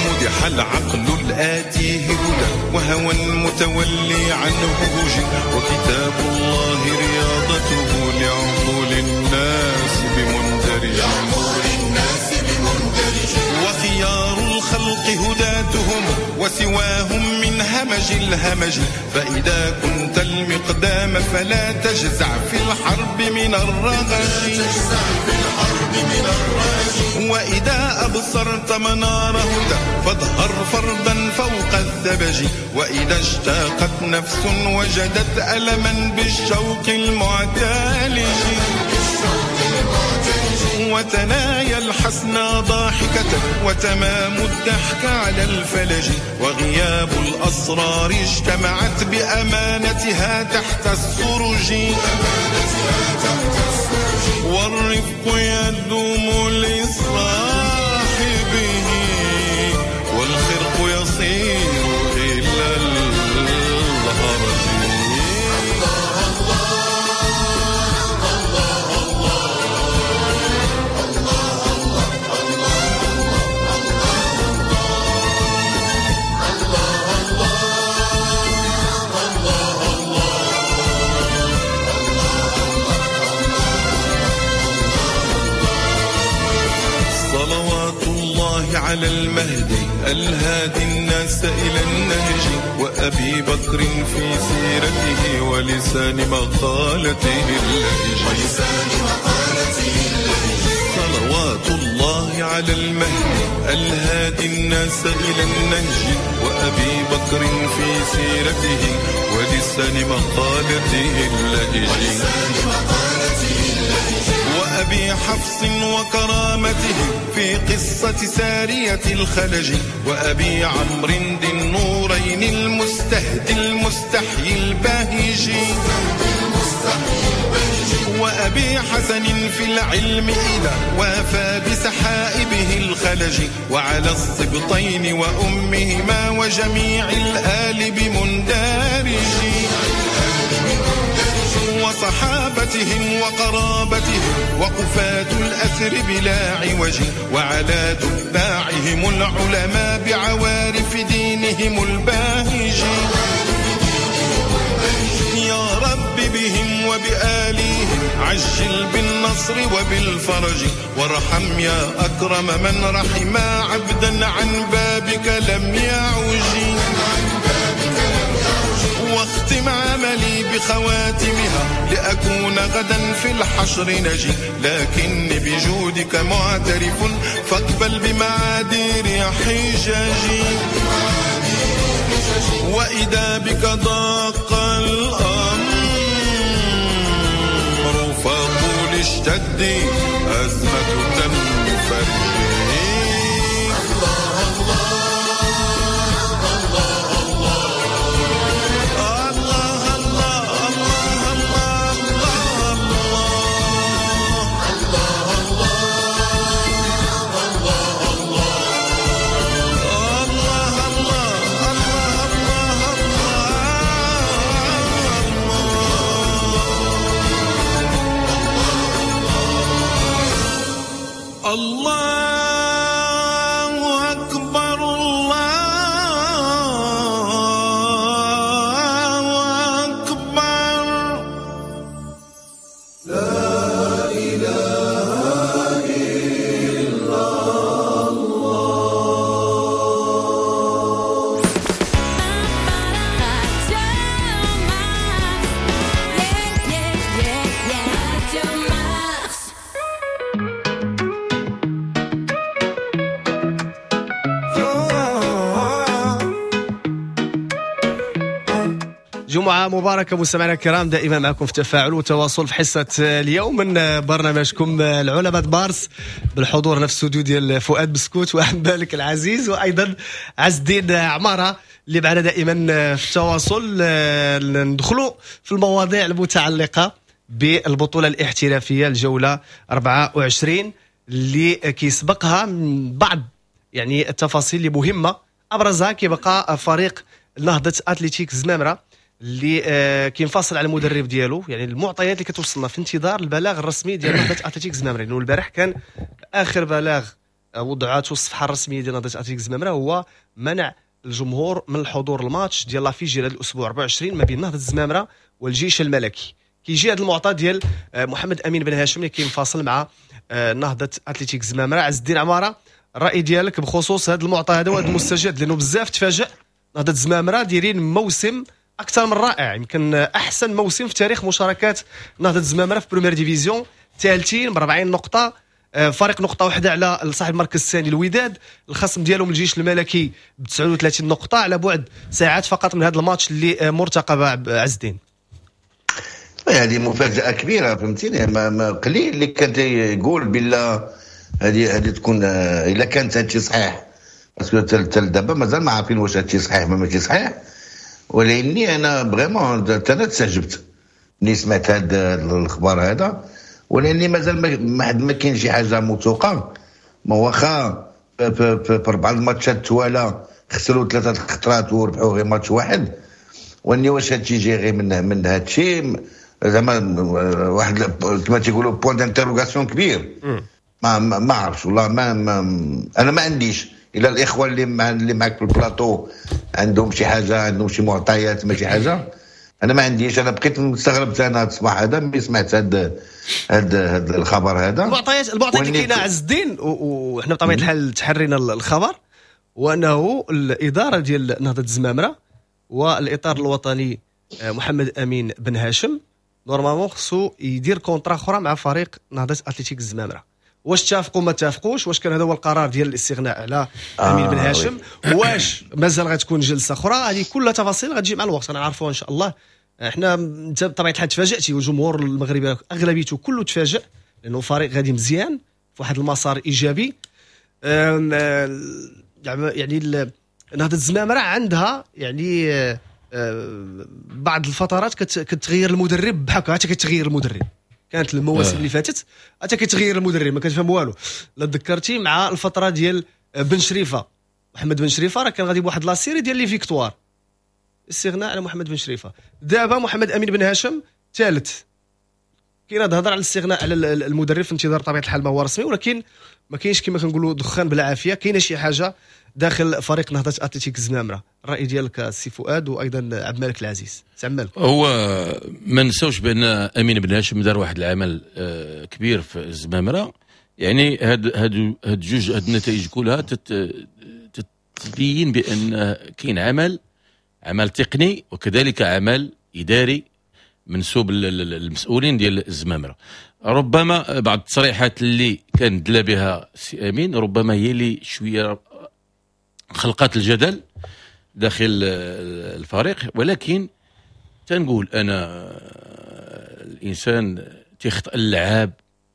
مدح العقل الآتيه هدى وهوى متولي عنه وجي، وكتاب الله رياضته لعقول الناس بمندرج. وخيار الخلق هداتهم وسواهم من همج الهمج، فإذا كنت المقدام فلا تجزع في الحرب من الرغج. وإذا أبصرت منار هدى فاظهر فردا فوق الثبج، وإذا اشتاقت نفس وجدت ألما بالشوق المعتالج. وتنايا الحسنى ضاحكة وتمام الضحك على الفلج، وغياب الأسرار اجتمعت بأمانتها تحت السرج، والرفق يدوم لصاحبه والخرق يصير إلى الهرج. صلوات الله على المهدي الهادي الناس إلى النهج، وأبي بكر في سيرته ولسان مقالته اللهج. صلوات الله على المهدي الهادي الناس إلى النهج، وأبي بكر في سيرته ولسان مقالته اللهج. وأبي حفص وكرامته في قصة سارية الخلج، وأبي عمرو ذي النورين المستهدي المستحيي الباهج، وأبي حسن في العلم إذا وافى بسحائبه الخلج، وعلى السبطين وأمهما وجميع الآل بمندارج، وصحابتهم وقرابتهم وقفاة الأثر بلا عوج، وعلى تباعهم العلماء بعوارف دينهم الباهج. يا رب بهم وبآليهم عجل بالنصر وبالفرج، وارحم يا أكرم من رحم عبدا عن بابك لم يعج، واختم عملي بخواتمها لأكون غدا في الحشر نجي، لكني بجودك معترف فاقبل بمعادير حجاجي. وإذا بك ضاق الأمر فقل اشتدي أزمة تنفرجي. الله الله الله الله الله الله جمعة مباركة مستمعينا الكرام، دائما معكم في تفاعل وتواصل في حصة اليوم من برنامجكم العلماء مارس، بالحضور نفس الاستوديو ديال فؤاد بسكوت وعبد المالك العزيز وايضا عز الدين عمارة اللي معنا دائما في التواصل. ندخلوا في المواضيع المتعلقة بالبطولة الاحترافية الجولة أربعة وعشرين اللي كيسبقها من بعض يعني التفاصيل اللي مهمة، أبرزها كيبقى فريق نهضة أتلتيك زمامرة اللي آه كينفصل على المدرب ديالو. يعني المعطيات اللي كتوصلنا في انتظار البلاغ الرسمي ديال نهضة أتلتيك زمامرة، لأنه البارح كان آخر بلاغ وضعته الصفحة الرسمية ديال نهضة أتلتيك زمامرة هو منع الجمهور من الحضور الماتش ديال l'affiche ديال هذا الأسبوع أربعة وعشرين ما بين نهضة زمامرة والجيش الملكي. كيجي هذا المعطى ديال محمد أمين بن هاشم اللي كينفصل مع نهضة أتلتيك زمامرة. عز الدين عمارة، الرأي ديالك بخصوص هذا المعطى هذا وهذا المستجد، لأنه بزاف تفاجأ نهضة زمامرة دايرين موسم أكثر من رائع، يمكن أحسن موسم في تاريخ مشاركات نهضة زمامرة في première division، ثالثين ب أربعين نقطة، فرق نقطة واحدة على صاحب المركز الثاني الوداد، الخصم ديالهم الجيش الملكي ب تسعة وثلاثين نقطة على بعد ساعات فقط من هذا الماتش اللي مرتقب. عز الدين، هذه مفاجأة كبيرة، فهمتيني، ما قليل اللي كان يقول بالله هذه هذه تكون إلا كانت هادشي صحيح، parce que حتى دابا مازال ما عارفين واش هادشي صحيح ما ماشي صحيح. ولاني انا vraiment انا تسجبت ملي سمعت هذا الخبر هذا، ولاني مازال ما ما كاين شي حاجة موثوقة. ما واخا في اربع الماتشات توالا خسروا ثلاثة الخطرات وربحوا غير ماتش واحد، واني واش هادشي جاي غير من من هادشي زعما واحد كما تيقولوا point d'interrogation كبير. ما ما عرفتش والله، ما, ما انا ما عنديش. الى الاخوة اللي مع اللي معك في البلاطو عندهم شي حاجة، عندهم شي معطيات ما شي حاجة، انا ما عنديش. انا بقيت مستغرب انا هذا الصباح هذا ملي سمعت هذا هذا الخبر هذا. المعطيات المعطيات اللي كاينه عز الدين، وحنا بطبيعة الحال تحرينا الخبر، وانه الادارة ديال نهضة الزمامره والاطار الوطني محمد امين بن هاشم normalement خصو يدير contrat اخرى مع فريق نهضة اتلتيك الزمامره. واش اتفقوا ما اتفقوش؟ واش كان هذا هو القرار ديال الاستغناء على آه امين بن هاشم؟ واش مازال غتكون جلسه اخرى؟ هذه كلها تفاصيل غتجي مع الوقت غنعرفوها ان شاء الله. احنا انت بطبيعة الحال تفاجاتي، والجمهور المغربي اغلبيته كله تفاجئ، لانه فريق غادي مزيان في واحد المسار ايجابي. يعني نهضة الزمامره عندها يعني بعض الفترات كتغير المدرب بحال هكا، كتغير المدرب كانت المواسم آه. اللي فاتت حتى كيتغير المدرب ما كتفهم والو. لا تذكرتي مع الفترة ديال بن شريفه، محمد بن شريفه راه كان غادي بواحد la série ديال les victoires، استغناء على محمد بن شريفه. دابا محمد امين بن هاشم ثالث، كاين هضر على الاستغناء على المدرب في انتظار طبيعة الحال ما هو رسمي، ولكن ما كاينش كما كنقولوا دخان بلا عافية، كاينه شي حاجة داخل فريق نهضة اتلتيك الزمامره. الراي ديالك السي فؤاد وايضا عبد الملك العزيز. سي عبد الملك، هو ما نساوش بان امين بن هاشم دار واحد العمل كبير في الزمامره، يعني هاد هاد هاد جوج هاد النتائج كلها تتبين بان كاين عمل عمل تقني وكذلك عمل اداري منسوب المسؤولين ديال الزمامره. ربما بعض التصريحات اللي كان دلا بها السي امين ربما هي اللي شوية خلقات الجدل داخل الفريق، ولكن تنقول انا الانسان تيخطئ اللاعب،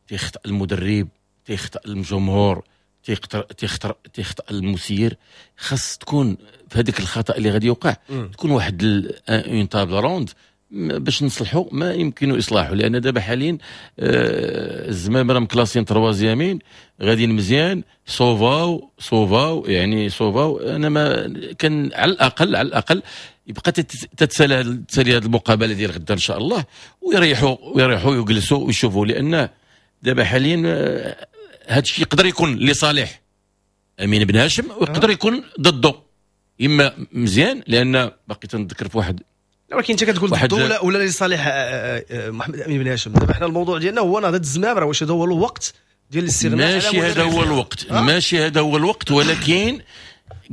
تيخطئ المدرب، تيخطئ الجمهور، تيخطئ تيخطئ تيخطئ المسير. خاص تكون في هذيك الخطا اللي غادي يوقع تكون واحد une table ronde باش نصلحوا ما يمكن اصلاحه، لان دابا حاليا الزمامره مكلاسين troisième غاديين مزيان، صوفاو صوفاو يعني صوفاو. انا ما كان على الاقل على الاقل يبقى تتسالى تسالي هذه المقابلة ديال غدا ان شاء الله، ويريحوا ويريحوا ويجلسوا ويشوفوا، لان دابا حاليا هذا الشيء يقدر يكون لصالح امين بن هاشم ويقدر يكون ضده، اما مزيان لان باقي تنذكر في واحد. ولكن انت كتقول ضده ولا ولا لصالح محمد امين بن هاشم. دابا حنا الموضوع ديالنا هو نهضة الزمامره، واش هذا هو الوقت ديال الاستغناء؟ ماشي هذا هو الوقت، أه؟ ماشي هذا هو الوقت، ولكن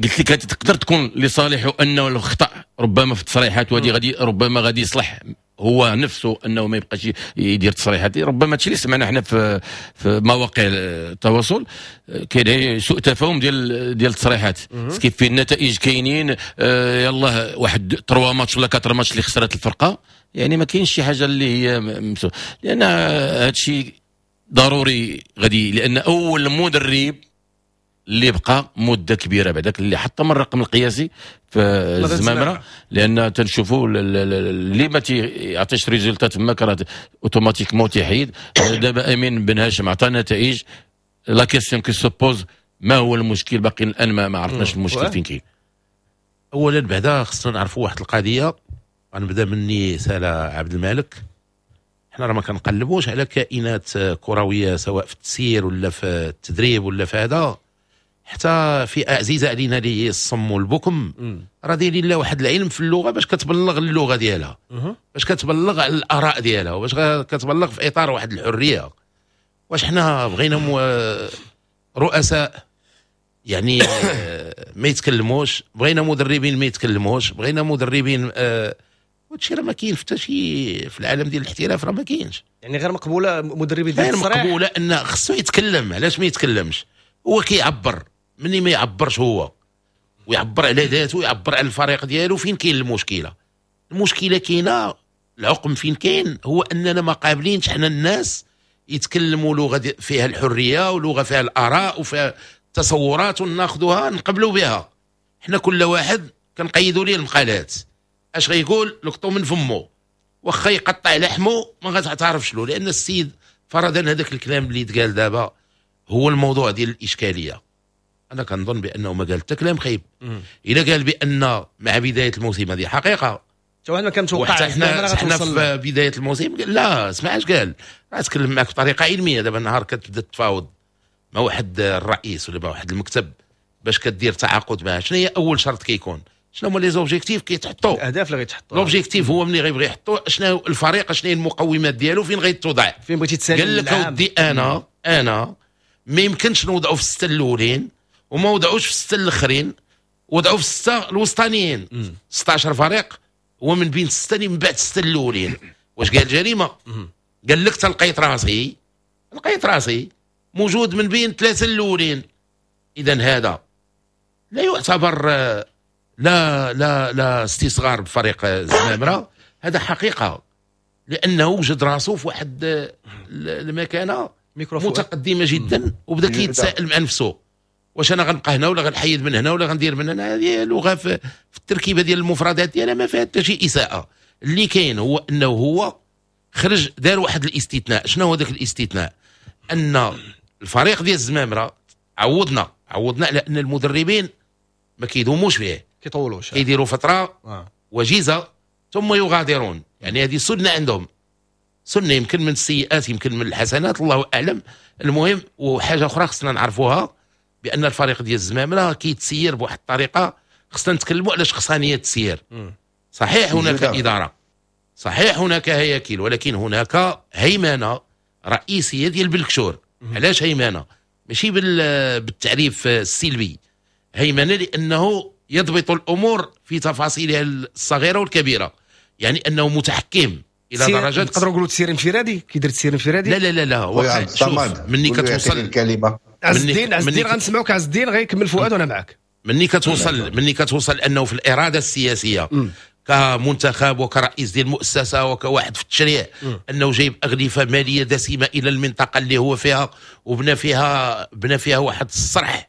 قلت لك تقدر تكون لصالحه انه الخطا ربما في التصريحات وهذه غادي ربما غادي يصلح هو نفسه انه ما يبقاش يدير تصريحات. ربما هادشي اللي سمعنا حنا في في مواقع التواصل، كاين سوء تفاهم ديال ديال التصريحات، كيف في النتائج كاينين، آه، يلاه واحد trois matchs ولا quatre matchs اللي خسرت الفرقة، يعني ما كاينش شي حاجة اللي هي مسو... لان هادشي ضروري غادي، لان اول مدرب اللي بقى مده كبيرة بعداك اللي حطم الرقم القياسي في الزمامره، لان تنشوفوا اللي ما تيعطيش résultat تماك راه automatiquement تيحيد. دابا امين بن هاشم عطى نتائج، la question qui se pose ما هو المشكل؟ باقي الان ما, ما عرفناش المشكل فين كاين. اولا بعدا خصنا نعرفوا واحد القضية، غنبدا مني سالا عبد المالك، حنا راه ما كنقلبوش على كائنات كروية سواء في التسيير ولا في التدريب ولا في هذا، حتى فئة عزيزه علينا اللي هي الصم والبكم، راه دايرين لها واحد العلم في اللغة باش كتبلغ اللغة ديالها، باش كتبلغ على الاراء ديالها، وباش كتبلغ في اطار واحد الحرية. واش حنا بغينا رؤساء يعني ما يتكلموش، بغينا مدربين ما يتكلموش، بغينا مدربين آه وهادشي راه ما كاين حتى شي في العالم ديال الاحتراف، راه ما كاينش. يعني غير مقبولة مدربين ديال غير مقبولة ان خصو يتكلم. علاش ما يتكلمش؟ هو كيعبر، مني ما يعبرش هو ويعبر على ذاته ويعبر على الفريق ديالو، فين كاين المشكلة؟ المشكلة كاينه، العقم فين كاين؟ هو اننا ما قابلينش حنا الناس يتكلموا لغة فيها الحرية ولغة فيها الاراء وفيها التصورات وناخذوها نقبلوا بها. حنا كل واحد كنقيدوا ليه المقالات، اش غيقول لقطو من فمو، واخا يقطع لحمه ما غتعرفش له، لان السيد فرضا هذاك الكلام اللي تقال دابا هو الموضوع ديال الاشكالية. انا كنظن بانه ما قال حتى كلام خايب. الا قال بان مع بداية الموسم، هذه حقيقة حتى واحد ما كان متوقع. حنا حنا في بداية الموسم لا اسمع اش قال، راه تكلم معك بطريقة علمية. دابا النهار كتبدا تفاوض مع واحد الرئيس ولا مع واحد المكتب باش كدير تعاقد معاه، شنو هي اول شرط كيكون؟ شنو هما les objectifs كيتحطوا؟ الاهداف اللي غيتحطوا. l'objectif هو ملي غيبغي يحطوا شنو الفريق، شنو هي المقومات ديالو، فين غيتوضع، فين بغيتي تسالي. قال لك اودي انا انا ما يمكنش نوضعوا في الستة الاولين وما وضعوش في الستة الاخرين، وضعوا في الستة الوسطانيين. ستة عشر فريق هو من بين الستة اللي من بعد الستة الاولين. واش قال جريمة؟ قال لك تلقيت راسي، لقيت راسي موجود من بين ثلاثة الاولين. اذا هذا لا يعتبر لا لا لا استصغار بفريق الزمامره، هذا حقيقة، لانه وجد راسه في واحد المكانة متقدمة جدا، وبدا كيتساءل مع نفسه واش انا غنبقى هنا ولا غنحيد من هنا ولا غندير من هنا. هذه لغة في, في التركيبة ديال المفردات ديالها ما فيها حتى شي اساءه. اللي كاين هو انه هو خرج دار واحد الاستثناء. شنو هو ذاك الاستثناء؟ ان الفريق ديال الزمامره عوضنا عوضنا على ان المدربين ما كيدوموش فيه، كيطولوش، كيديروا فترة آه. وجيزة ثم يغادرون. يعني هذه سنة عندهم، سنة يمكن من السيئات يمكن من الحسنات، الله اعلم. المهم وحاجه اخرى خصنا نعرفوها بان الفريق ديال الزمامره كيتسير بواحد الطريقة، خصنا نتكلموا على شخصانيه التسيير. صحيح هناك ادارة، صحيح هناك هياكل، ولكن هناك هيمنة رئيسية ديال بالكشور. علاش هيمنة؟ ماشي بالتعريف السلبي، هيمنة لانه يضبط الامور في تفاصيلها الصغيرة والكبيرة، يعني انه متحكم الى درجه نقدروا نقولوا تسيير انفرادي. كيدير تسيير انفرادي؟ لا لا لا لا هو شوف مني كتوصل الكلمة عز الدين، عز الدين غنسمعوك. عز الدين غيكمل فؤاد وانا معك. مني كتوصل مني كتوصل انه في الارادة السياسية م. كمنتخب وكرئيس ديال المؤسسة وكواحد في التشريع م. انه جايب اغلفه ماليه دسمة الى المنطقة اللي هو فيها، وبنى فيها بنى فيها واحد الصرح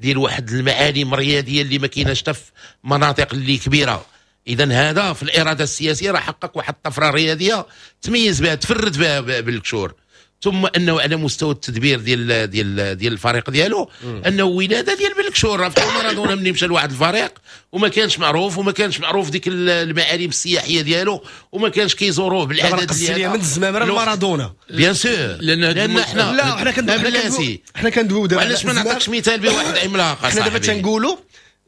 ديال واحد المعالم الرياضية اللي ما كايناش حتى في مناطق اللي كبيرة. اذا هذا في الارادة السياسية راه حقق واحد الطفرة رياضية تميز بها، تفرد بها بالكشور. ثم انه على مستوى التدبير ديال ديال ديال الفريق ديالو، انه ولاده ديال بالكشور. راه بحال مارادونا ملي مشى لواحد الفريق وما كانش معروف، وما كانش معروف ديك المعالم السياحية ديالو، وما كانش كيزوروه بالعدد ديالو. من الزمامره لمارادونا bien sûr، لان لان حنا لا حنا كندويو حنا كندويو دابا. علاش ما نعطيكش مثال بواحد عملاق؟ حنا دابا تنقولوا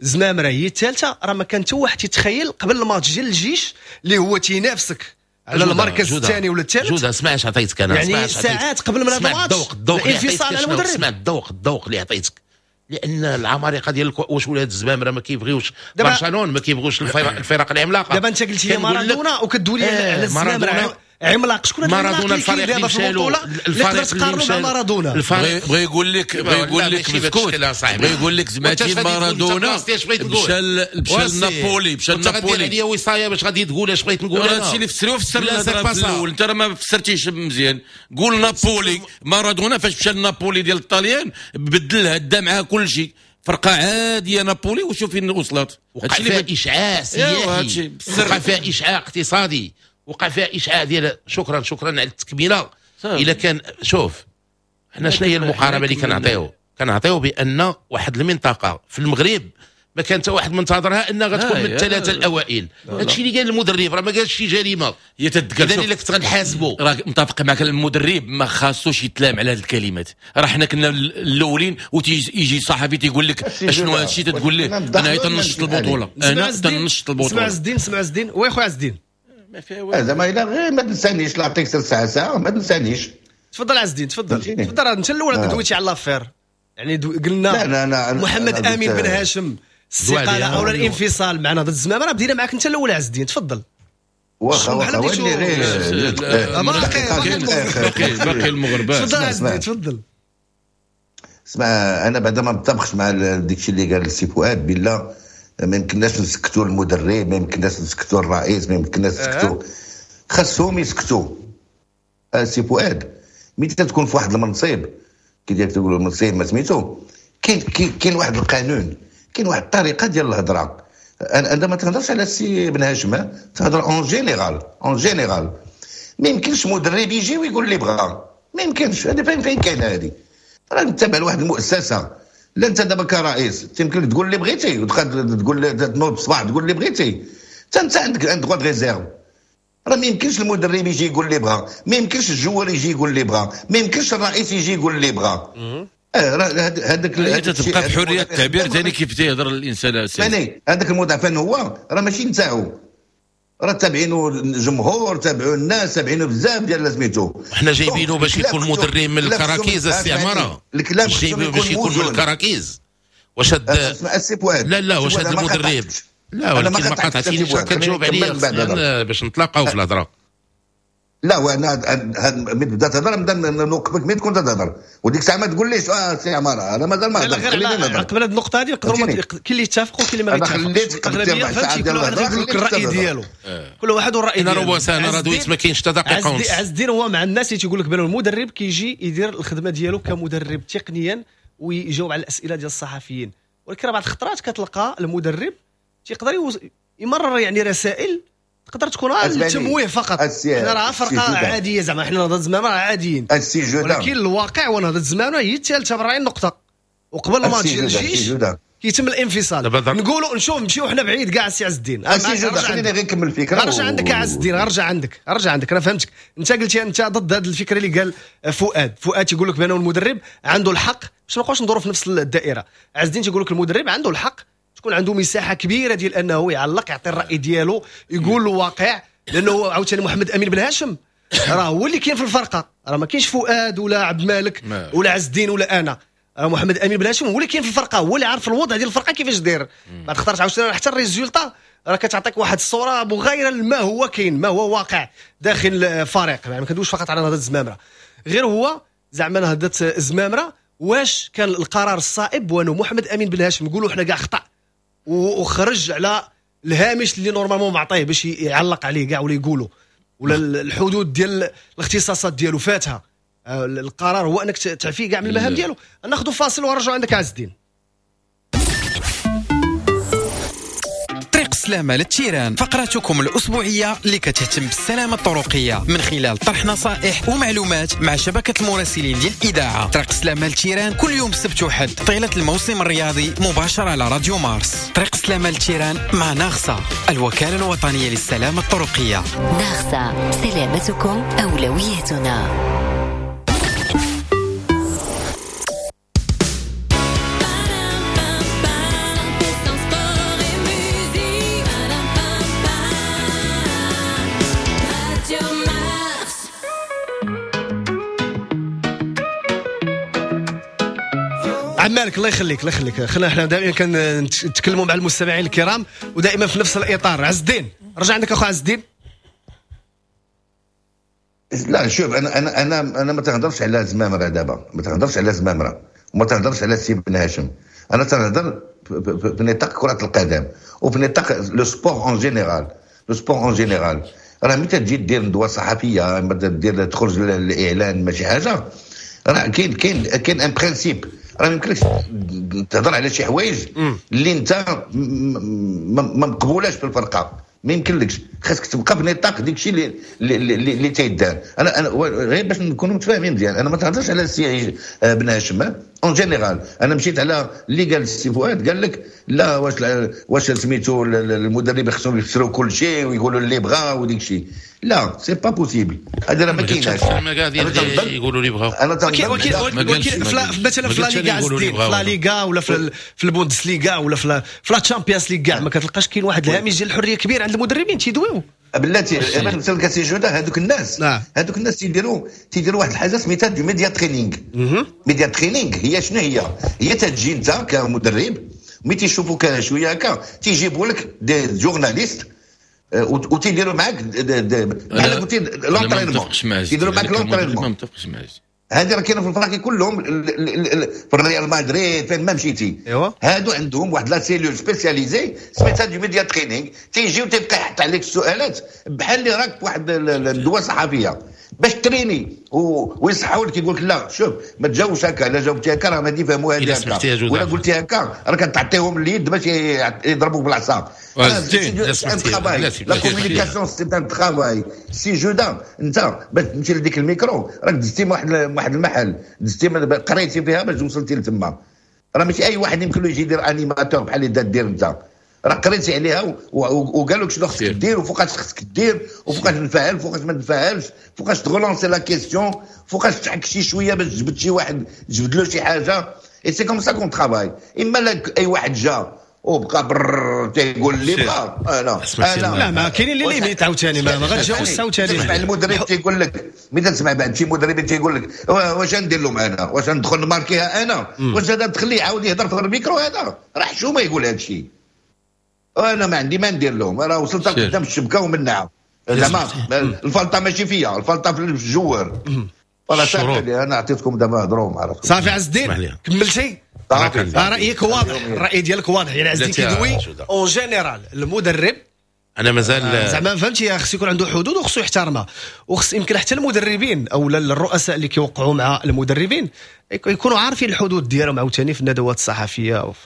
الزمامره هي الثالثة، راه ما كان حتى واحد تيتخيل قبل الماتش ديال الجيش اللي هو تينافسك على المركز الثاني ولا الثالث. جوده اسمع اش عطيتك انا، يعني ساعات قبل من هذا الماتش الذوق الذوق الانفصال على المدرب. اسمع الذوق الذوق اللي عطيتك لان العمالقة ديال واش ولاد الزمامره ما كيبغيوش برشلونة، ما كيبغيوش الفرق, الفرق العملاقة. دابا انت قلتي لي مارادونا وكدوي لي على الزمامره عملاق، شكون هذا مارادونا؟ الفريق اللي مشى له، الفريق اللي تقارنوا مع مارادونا. الفريق بغى يقول لك، بغى يقول لك مسكوت، بغى يقول لك زعما مارادونا مشى مشى لنابولي، مشى لنابولي هي وصايه باش غادي تقول اش بغيت نقول. انا هادشي اللي فسروا فسر في الاول، انت راه ما فسرتيش مزيان. قول نابولي، مارادونا فاش مشى لنابولي ديال الطاليان بدلها، دا معاه كل شيء، فرقه عادية نابولي وشوف فين وصلت. وقع فيها اشعاع سياحي، وقع فيها اشعاع اقتصادي، وقع فيها اشعاع ديال. شكرا شكرا على التكملة. الا كان شوف حنا شنو هي المقاربة اللي كنعطيو؟ كنعطيو بان واحد المنطقة في المغرب ما كان حتى واحد منتظرها انها غتكون من الثلاثة الاوائل. هادشي اللي قال المدرب راه ما قالش شي جريمة، هي تتقال. اذا الا كنت غنحاسبو راه متفق معك، المدرب ما خاصوش يتلام على هذه الكلمات. راه حنا كنا الاولين وتيجي صحفي تيقول لك اشنو هادشي، تتقول ليه انا تنشط البطولة، انا تنشط البطولة. سمع عز الدين، سمع عز الدين، oui خويا عز الدين، ما فيها والو زعما الا غير ما تنسانيش، لا عطيك ساعة ساعة ما تنسانيش. تفضل عز الدين، تفضل تفضل. انت الاول دويتي على l'affaire، يعني دو... قلنا لا لا لا محمد امين بن هاشم استقالة او الانفصال مع نهضة الزمامره، راه بدينا معاك انت الاول عز الدين، تفضل. واخا واخا ولي غير باقي باقي المغربات. تفضل عز الدين، تفضل. اسمع، انا بعدا ما متفقش مع داكشي اللي قال السي فؤاد بالله. ما يمكنناش نسكتوا المدرب، ما يمكنناش نسكتوا الرئيس، ما يمكنناش نسكتوا، خاصهم يسكتوا. السي فؤاد ملي تكون في واحد المنصب كي ديال تقول المنصب ما سميتو، كاين كاين واحد القانون، كاين واحد الطريقة ديال الهضرة. انا ما تهضرش على السي بن هاشم، تهضر en général، en général. ما يمكنش مدرب يجي ويقول اللي بغا، ما يمكنش. هذا فين فين كاين هذه؟ راه نتبع لواحد المؤسسة. لا انت دابا كرئيس تيمكن لك تقول اللي بغيتي، وتقول تنوض الصباح تقول اللي بغيتي، حتى انت عندك un droit de réserve. راه ما يمكنش المدرب يجي يقول اللي بغا، ما يمكنش ال joueur يجي يقول اللي بغا، ما يمكنش الرئيس يجي يقول اللي بغا. اه راه هذاك تبقى في حرية التعبير ثاني كيف تيهضر الانسان. ثاني هذاك المدافع هو راه ماشي نتاعو، راه تابعينه الجمهور، تابعوا الناس، تابعينه بزاف ديال سميتو. حنا جايبينه باش يكون مدرب من الكراكيز السي عمارة، جايبينه باش يكون من الكراكيز. واش هاد لا لا واش هاد المدرب لا، ولكن ما قاطعتينيش، كتجاوب عليا باش نتلاقاو في الهضرة. لا وانا من بدا تهضر نبدا نوقفك ملي تكون تهضر، وديك الساعة ما تقوليش اه سي عمارة انا مازال ما هضرت. خليني نهضر قبل هذه النقطة هذه. نقدروا كاين اللي يتفقوا وكاين اللي ما يتفقوش. الاغلبية فهمتي، كل واحد يقول لك الراي ديالو، كل واحد والراي ديالو. انا ربع ساعة انا راه دويت ما كاينش حتى دقيقة ونص. عز الدين هو مع الناس اللي تيقول لك بان المدرب كيجي يدير الخدمة ديالو كمدرب تقنيا ويجاوب على الاسئلة ديال الصحفيين، ولكن بعض الخطرات كتلقى المدرب تيقدر يمرر يعني رسائل تقدر تكون التمويه فقط. حنا راه فرقه عادية زعما، حنا نهضة الزمامره عاديين، ولكن الواقع هو نهضة الزمامره هي الثالثة بربعين نقطة، وقبل الماتش ديال الجيش كيتم الانفصال. نقولوا نشوف نمشيو حنا بعيد كاع السي عز الدين. السي جوده خليني غير نكمل الفكرة. رجع عندك عز الدين، رجع عندك، رجع عندك. انا فهمتك، انت قلتي انت ضد هذه الفكرة اللي قال فؤاد. فؤاد تيقول لك بانه المدرب عنده الحق باش ما نبقاوش ندوروا في نفس الدائرة. عز الدين تيقول لك المدرب عنده الحق تكون عنده مساحة كبيرة ديال انه يعلق، يعطي الراي ديالو، يقول الواقع، لانه عاوتاني محمد امين بن هاشم راه هو اللي كاين في الفرقة، راه ما كاينش فؤاد ولا عبد المالك ولا عز الدين ولا انا، راه محمد امين بن هاشم هو اللي كاين في الفرقة، هو اللي عارف الوضع ديال الفرقة كيفاش داير. بعد خطرت عاوتاني حتى ال résultat راه كتعطيك واحد الصورة مغايرة لما هو كاين، ما هو واقع داخل الفريق. يعني ما كندويش فقط على نهضة الزمامره، غير هو زعما نهضة الزمامره واش كان القرار الصائب وانه محمد امين بن هاشم نقولوا حنا كاع خطا وخرج على الهامش اللي normalement معطيه باش يعلق عليه كاع ولا يقولوا ولا الحدود ديال الاختصاصات ديالو فاتها. القرار هو انك تعفيه كاع من المهام ديالو. ناخذ فاصل ونرجعوا عندك عز الدين. طريق السلامة لل terrain، فقرتكم الأسبوعية اللي كتهتم بالسلامة الطرقية من خلال طرح نصائح ومعلومات مع شبكة المراسلين ديال الإذاعة. طريق السلامة لل terrain كل يوم سبت وحد طيلة الموسم الرياضي مباشرة على راديو مارس. طريق السلامة لل terrain مع ناغسا، الوكالة الوطنية للسلامة الطرقية. ناغسا، سلامتكم أولويتنا. عم مالك الله يخليك، الله يخليك، خلينا حنا دائما كنتكلموا مع المستمعين الكرام ودائما في نفس الاطار. عز الدين، رجع عندك اخو عز الدين. لا شوف، انا انا انا انا ما تنهضرش على زمامرة دابا، ما تنهضرش على زمامرة وما تنهضرش على سي بن هاشم. انا تنهضر في نطاق كره القدم وفي نطاق le sport en général. le sport en général راه ملي تجي دير ندوه صحفية، اما دير تخرج الاعلان، ماشي حاجه، راه كاين كاين كاين un principe. راه ما يمكنلكش تهضر على شي حوايج اللي انت ما مقبولاش في الفرقه، ما يمكنلكش. خاصك تبقى في نطاق ديك الشيء اللي اللي, اللي تيدار. انا انا غير باش نكونوا متفاهمين مزيان، انا ما تهضرش على السي بن هاشم en général. انا مشيت على اللي قال السي فؤاد، قال لك لا، واش واش سميتو المدرب خصهم يفسروا كل شيء ويقولوا اللي بغا وديك الشيء. لا، c'est pas possible، هذا راه ما كايناش. يقولوا اللي بغاو. انا ولكن ولكن مثلا في لا ليغا، في لا ليغا ولا في في البوندسليغا ولا في في la Champions League كاع ما كتلقاش كاين واحد الهامش ديال الحرية كبير عند المدربين تيدويو. بلاتي، مثلا كاسي جوده، هذوك الناس نعم. هذوك الناس تيديروا تيديروا واحد الحاجة سميتها du media training. media training هي شنو هي؟ هي تجي انت كمدرب، ملي تيشوفوك شوية هكا تيجيبوا لك des journalistes وتيديروا معاك بحال قلتي l'entraînement، تيديروا معاك l'entraînement. ما متفقش معاك. هذه راه كاينه في الفراقي كلهم، في الريال مدريد، فين ما مشيتي. ايوا هادو عندهم واحد la cellule spécialisée سميتها du media training، تيجيو تيبقى يحط عليك السؤالات بحال اللي راك في واحد الندوة الصحفية باش تريني ويصحوا لك، يقول لك لا شوف، ما تجاوبش هكا، الا جاوبتي هكا راه ما يفهموا هذه هكا، ولا قلتي هكا راه كتعطيهم اليد باش يضربوك بالعصا. la communication c'est un travail سي جودا. انت باش تمشي لديك الميكرو راك دزتي واحد واحد المحل، دزتي قريتي فيها باش وصلتي لتما. راه ماشي اي واحد يمكن له يجي يدير animateur بحال اللي دير انت. راه قريتي عليها وقالوا لك شنو خصك دير وفوقاش خصك دير وفوقاش نفعل، فوقاش ما تنفعلش، فوقاش ت relancer la question، فوقاش تحك شي شوية باش تجبد شي واحد، تجبد له شي حاجه. et c'est comme ça qu'on travaille. اما لا، اي واحد جا وبقى بر تيقول لي بغا، انا انا لا، ما كاينين les limites عاوتاني، ما غاتجاوزش عاوتاني. تسمع المدرب تيقول لك، ملي تسمع بعد شي مدرب تيقول لك واش ندير لهم انا؟ واش ندخل نماركيها انا؟ واش هذا تخليه يعاود يهضر في الميكرو؟ هذا راه حشومه يقول هذا الشيء. انا ما عندي ما ندير لهم، راه وصلت قدام الشبكة ومنعها. زعما الفلطه ماشي فيا، الفلطه في ال joueur. voilà، صافي، انا عطيتكم دابا، هضروا مع راسكم. صافي عز الدين، كملتي؟ رايك واضح، الراي ديالك واضح. يعني عز الدين كيدوي en général المدرب. انا مازال آه، زعما فهمتي، خص يكون عنده حدود وخصو يحترمها، وخص يمكن حتى المدربين او الرؤساء اللي كيوقعوا مع المدربين يكونوا عارفين الحدود ديالهم عاوتاني في الندوات الصحفية وف...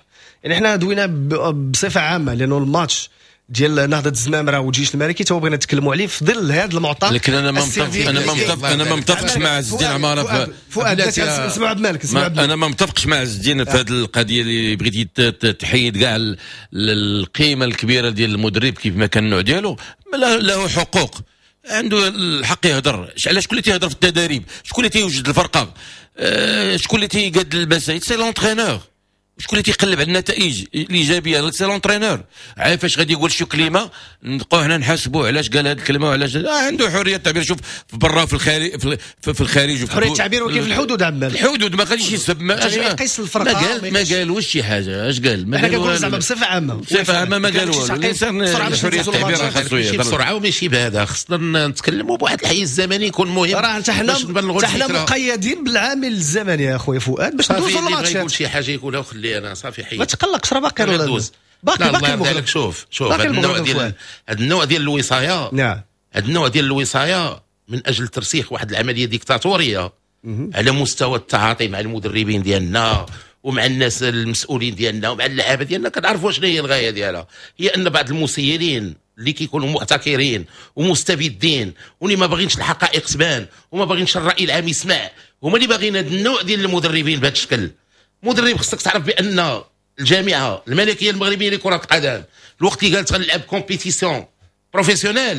يعني حنا دوينا بصفة عامة لانه الماتش ديال نهضة الزمامره والجيش الملكي تو بغينا نتكلموا عليه في ظل هذا المعطى. لكن انا ما متفق انا ما متفق انا ما متفقش مع عز الدين عمارة. فؤاد، نسمعوا عبد الملك. نسمعوا. انا ما متفقش مع عز الدين في هذه القضية اللي بغيتي تحيد كاع القيمة الكبيرة ديال المدرب كيف ما كان النوع ديالو. له حقوق، عنده الحق يهضر. علاش؟ شكون اللي تيهضر في التدريب؟ شكون اللي تيوجد الفرقه؟ أه شكون اللي تيقاد المسائل؟ c'est l'entraîneur. شكون اللي تيقلب على النتائج الايجابيه؟ c'est l'entraîneur. عارف فاش غادي يقول شي كلمة نبقاو حنا نحاسبوه علاش قال هذه الكلمة وعلاش؟ آه عنده حرية التعبير. شوف في برا، في الخارج، في, في الخارج. حرية التعبير ولكن في الحدود عمال. الحدود، ما غاديش يسب. ما يقيس الفرقه. ما قال ما قالوش شي حاجه. اش قال؟ ما قال زعما بصفة عامه. بصفة عامة ما قال والو. الانسان حرية التعبير خاصو يهضر بسرعة وماشي بهذا. خصنا نتكلموا بواحد الحيز الزمني يكون مهم. راه حتى حنا حنا مقيدين بالعامل الزمني يا خويا فؤاد باش ندوزو الماتش. يقول شي حاجة يقولها وخلي انا صافي حيد. ما تقلقش، راه باقي باقي باقي المغرب. شوف شوف، هذا النوع ديال هذا النوع ديال الوصايه، نعم، هذا النوع ديال الوصايه من اجل ترسيخ واحد العملية ديكتاتوريه على مستوى التعاطي مع المدربين ديالنا ومع الناس المسؤولين ديالنا ومع اللعابه ديالنا. كنعرفوا شنو هي الغاية ديالها، هي ان بعض المسيرين اللي كيكونوا محتكرين ومستبدين واللي ما باغينش الحقائق تبان وما باغينش الراي العام يسمع، هما اللي باغيين هذا النوع ديال المدربين بهذا الشكل. مدرب خصك تعرف بان الجامعة الملكية المغربية لكرة القدم الوقت اللي قالت غنلعب compétition professionnelle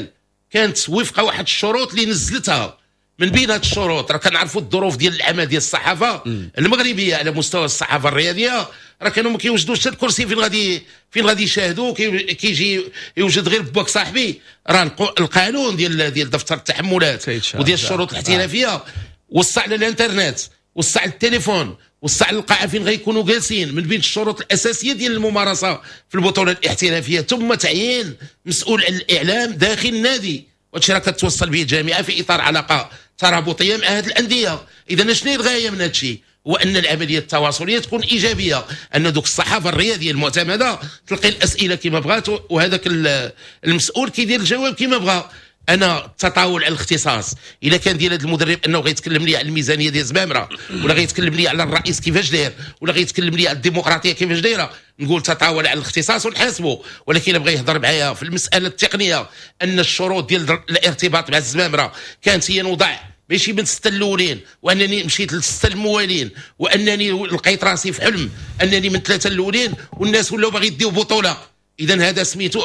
كانت وفق واحد الشروط اللي نزلتها. من بين هذه الشروط، راه كنعرفوا الظروف ديال العمل ديال الصحافة المغربية على مستوى الصحافة الرياضيه، راه كانوا ما كيوجدوش حتى الكرسي فين غادي فين غادي يشاهدوا، كيجي يوجد غير باك صاحبي. راه القانون ديال ديال دفتر التحملات وديال الشروط الاحترافية وصى على الانترنت، وصى على التليفون، وصى على التلفزة، وسع القاعة فين غيكونوا جالسين، من بين الشروط الاساسية ديال الممارسة في البطولة الاحترافية، ثم تعيين مسؤول على الاعلام داخل النادي، وهادشي راه كتوصل به الجامعة في اطار علاقة ترابطيه مع هذه الاندية. اذا شنو هي الغاية من هادشي؟ هو ان العملية التواصليه تكون ايجابية، ان دوك الصحافة الرياضية المعتمدة تلقي الاسئلة كما بغات، وهذاك المسؤول كيدير الجواب كما بغا. انا التطاول على الاختصاص اذا كان ديال هذا المدرب انه غيتكلم لي على الميزانية ديال زمامرة، ولا غيتكلم لي على الرئيس كيفاش داير، ولا غيتكلم لي على الديمقراطية كيفاش دايرة، نقول تطاول على الاختصاص ونحاسبه. ولكن الا بغى يهضر معايا في المسالة التقنية ان الشروط ديال الارتباط مع الزمامره كانت هي نوضع ماشي من الستة الاولين، وانني مشيت للسته الموالين، وانني لقيت راسي في حلم انني من ثلاثة الاولين والناس ولاو باغي يديو بطوله، اذا هذا سميتو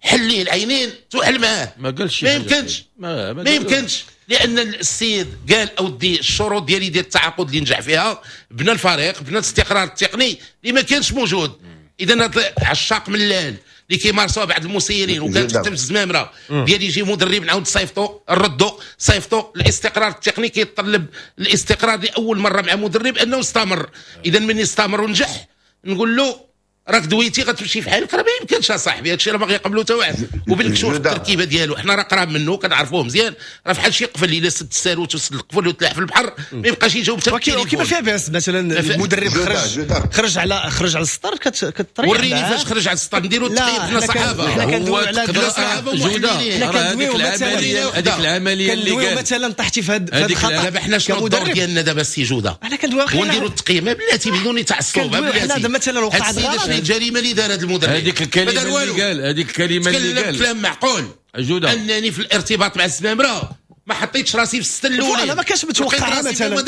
حليه العينين توحل معاه. ما قالش، ما يمكنش، ما, ما, ما يمكنش، لان السيد قال اودي الشروط ديالي ديال التعاقد اللي نجح فيها بنى الفريق، بنى الاستقرار التقني اللي ما كانش موجود. اذا عشاق ملال اللي كيمارسوها بعض المسيرين، وكانت حتى في الزمامره ديال يجي مدرب نعاود صيفطو نردو صيفطو. الاستقرار التقني كيتطلب الاستقرار لاول مرة مع مدرب انه استمر. اذا من استمر ونجح نقول له راك دويتي غتمشي في حالك، راه ما يمكنش اصاحبي، هادشي راه ما غيقبلو حتى واحد. وبالكشوف التركيبة ديالو حنا راه قراب منه كنعرفوه مزيان، راه فحال شي قفل الا سد الساروت وسد القفل وتلاح في البحر ما يبقاش يجاوب حتى التليفون. كيما فيها باس مثلا المدرب خرج خرج على خرج على السطر كتريح. وريني فاش خرج على السطر نديرو التقييم حنا صحافة، حنا كندويو على جوده، حنا كندويو مثلا هذيك العملية اللي قال مثلا طحتي في هذا الخطا. دابا حنا شنو الدور ديالنا دابا السي جوده؟ حنا كندويو ونديرو التقييم بلاتي بدون تعصب. بلاتي مثلا وقع الجريمة اللي دار هذا المدرب، هذيك الكلمة اللي قال، هذيك الكلمة اللي قال كلام معقول جوده، انني في الارتباط مع الزمامره ما حطيتش راسي في الستة الاولين. انا ما كانش متوقع مثلا